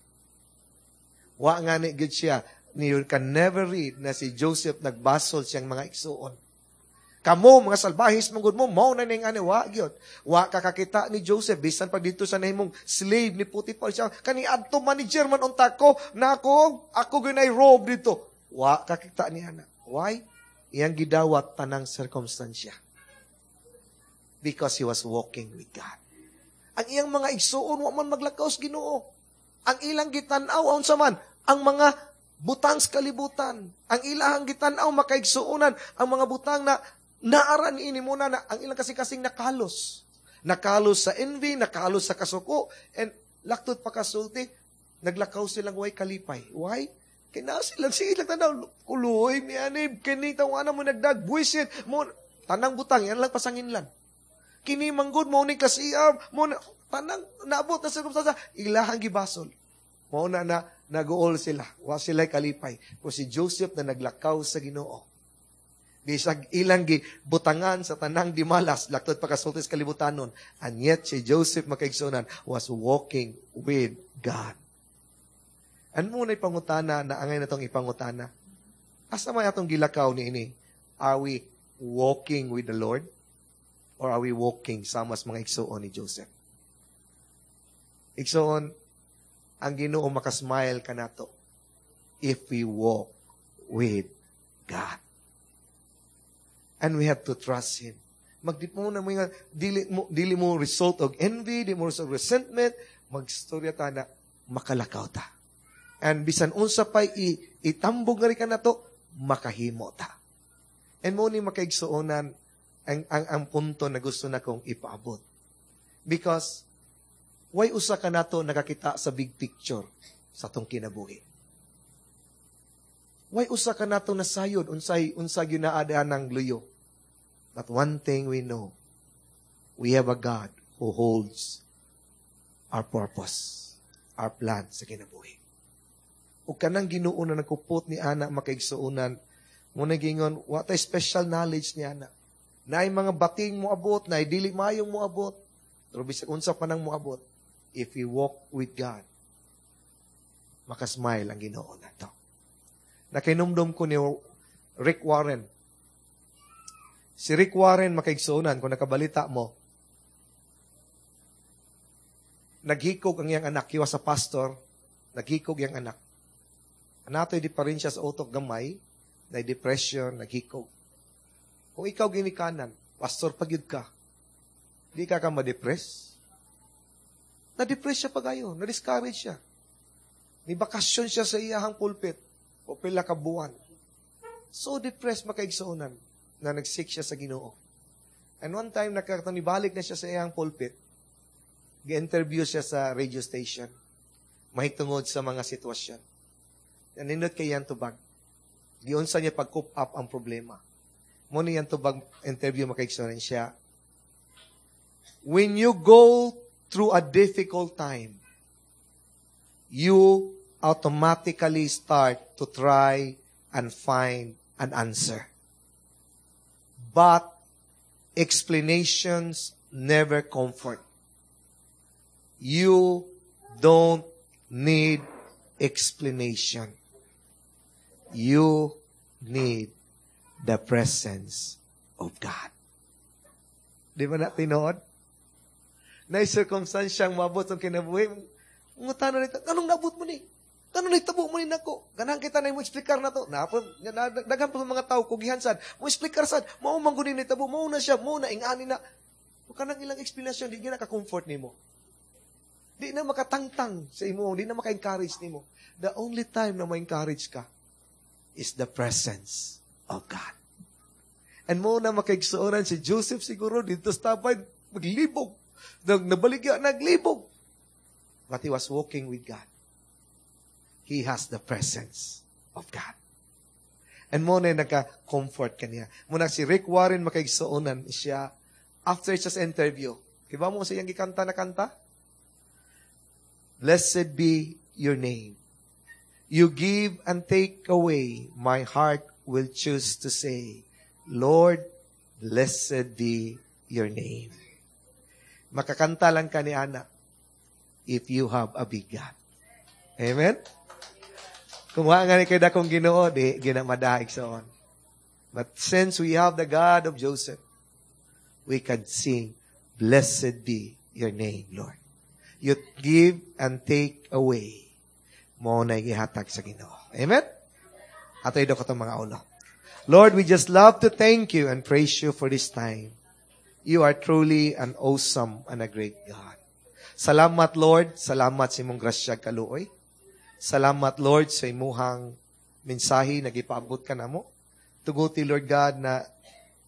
Wa nga ni gid siya, ni you can never read na si Joseph nagbasol siyang mga igsuon. "Kamo, mga salbahis, manggod mo, mao na ning ani," wa gyud. Wa ka kakita ni Joseph, bisan pag dito sa nahimong slave ni Potiphar siya, kani adto manager man unta ko, na ako, ako gyud robe dito. Wa kakita ni ana. Why? Iyang gidawat tanang sirkumstansya. Because he was walking with God. Ang iyang mga igsuon, wa man maglakaw sa Ginoo. Ang ilang gitan-aw, unsa man, ang mga butang sa kalibutan. Ang ilahang gitan-aw, makaigsuonan, ang mga butang na naara ni ini muna na ang ilang kasing-kasing nakalos. Nakalos sa envy, nakalos sa kasuko, and laktod pa kasulti, naglakaw silang way kalipay. Why? Kaya sila, sige lang tanaw, kuloy, mi ani, kini tawana mo nagdag, buwisit, mo, tanang butang, yan lang pasanginlan. Kini manggod mo ni kasiyam, mo, tanang, naabot na sirkumstansya, ilahang gibasol. Mao na na naguol sila. Wa sila kalipay. Kung si Joseph na naglakaw sa Ginoo. Bisag ilang gibutangan sa tanang gimalas, laktod pa kasulti sa kalibutanon. And yet, si Joseph, makaigsunan, was walking with God. Ano mo na ipangutana na angay na tong ipangutana? Asa may atong gilakaw ni ini? Are we walking with the Lord? Or are we walking sama sa mga igsuon ni Joseph? Igsuon, ang Ginoo makasmile kanato if we walk with God. And we have to trust Him. Magdi mo na mo nga, dili mo result of envy, di mo result of resentment, magstorya ta na makalakaw ta. And bisan unsa pa'y itambog nga rin ka nato, makahimo ta. And mo ni, makaigsuonan, ang punto na gusto na kong ipaabot. Because, why usa ka nato nakakita sa big picture sa atong kinabuhi? Why usa ka nato nasayod unsay unsa ginaadaan ng luyo? But one thing we know, we have a God who holds our purpose, our plan sa kinabuhi. O kanang Ginoo na nagkupot ni ana, makaigsuonan, mo na gingon, wa tay special knowledge ni ana. Naay mga bating mo abot, naay dili mayong mo abot. Pero bisag unsa pa nang moabot, if we walk with God, makasmile ang Ginoo nato. Nakinumdum ko ni Rick Warren. Si Rick Warren, makaigsuonan, kung nakabalita mo, naghikog ang iyang anak, he was a pastor, naghikog iyang anak. Anatoy di pa rin siya sa utok gamay, na depression, naghikog. Kung ikaw ginikanan, pastor pagyud ka, di ka ka ma-depress? Na-depress siya pagayo, na-discourage siya. Ni bakasyon siya sa iyahang pulpit, o pila ka buwan. So depressed, makaigsuonan, na nag-seek siya sa Ginoo. And one time, nibalik na siya sa iyang pulpit, gi-interview siya sa radio station, mahitungod sa mga sitwasyon. Nanindot kay iyang tubag. Giunsa niya pag-cope up ang problema. Mo ni iyang tubag interview, makaigsuonan siya. "When you go through a difficult time, you automatically start to try and find an answer. But explanations never comfort. You don't need explanation. You need the presence of God." Di ba na tinuod? Na circumstansyang mabot ang kinabuhi, ngutana nito, "Anong nabot mo ni? Ano nitabo mo ni nako?" Ganahan kita na mo eksplikar na to. Napon, daghan pa mga tao kugihan sad. Mo eksplikar sad. Mao man gud ni nitabo, mao na siya, mao na ingani na. Ug kanang ilang explanation di na ka-comfort nimo. Di na makatangtang sa imo, di na maka-encourage nimo. The only time na ma-encourage ka is the presence of God. And mo na, makaigsuonan, si Joseph siguro dito sa tapay, maglibog. Nabaligya, naglibog. But he was walking with God. He has the presence of God. And mo na nagka-comfort kaniya. Muna si Rick Warren, makaigsuonan siya, after siya sa interview. Kiba mo sa iyang gikanta na kanta? "Blessed be your name. You give and take away, my heart will choose to say, Lord, blessed be your name." Makakanta lang ka ni Ana if you have a big God. Amen? Kung wa nga ni kay dakong Ginoo, di ginamadaig sa on. But since we have the God of Joseph, we can sing, "Blessed be your name, Lord. You give and take away. Mo na gihatag sa Ginoo." Amen? Ato idukot atong mga ulo. Lord, we just love to thank you and praise you for this time. You are truly an awesome and a great God. Salamat, Lord. Salamat sa imong grasya kaluoy. Salamat, Lord, sa imuhang mensahe na gipaabot ka namo. Tuguti, Lord God, na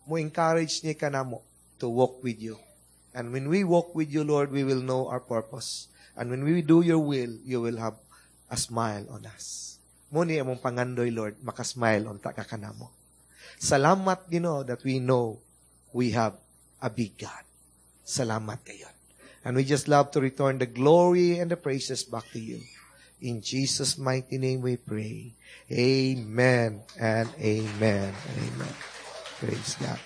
mo encourage niya ka namo to walk with you. And when we walk with you, Lord, we will know our purpose. And when we do your will, you will have a smile on us. Mo ni among pangandoy, Lord, makasmile unta ka kanamo. Salamat, Ginoo, that we know we have a big God. Salamat kayo. And we just love to return the glory and the praises back to you. In Jesus' mighty name we pray. Amen and amen. Amen. Praise God.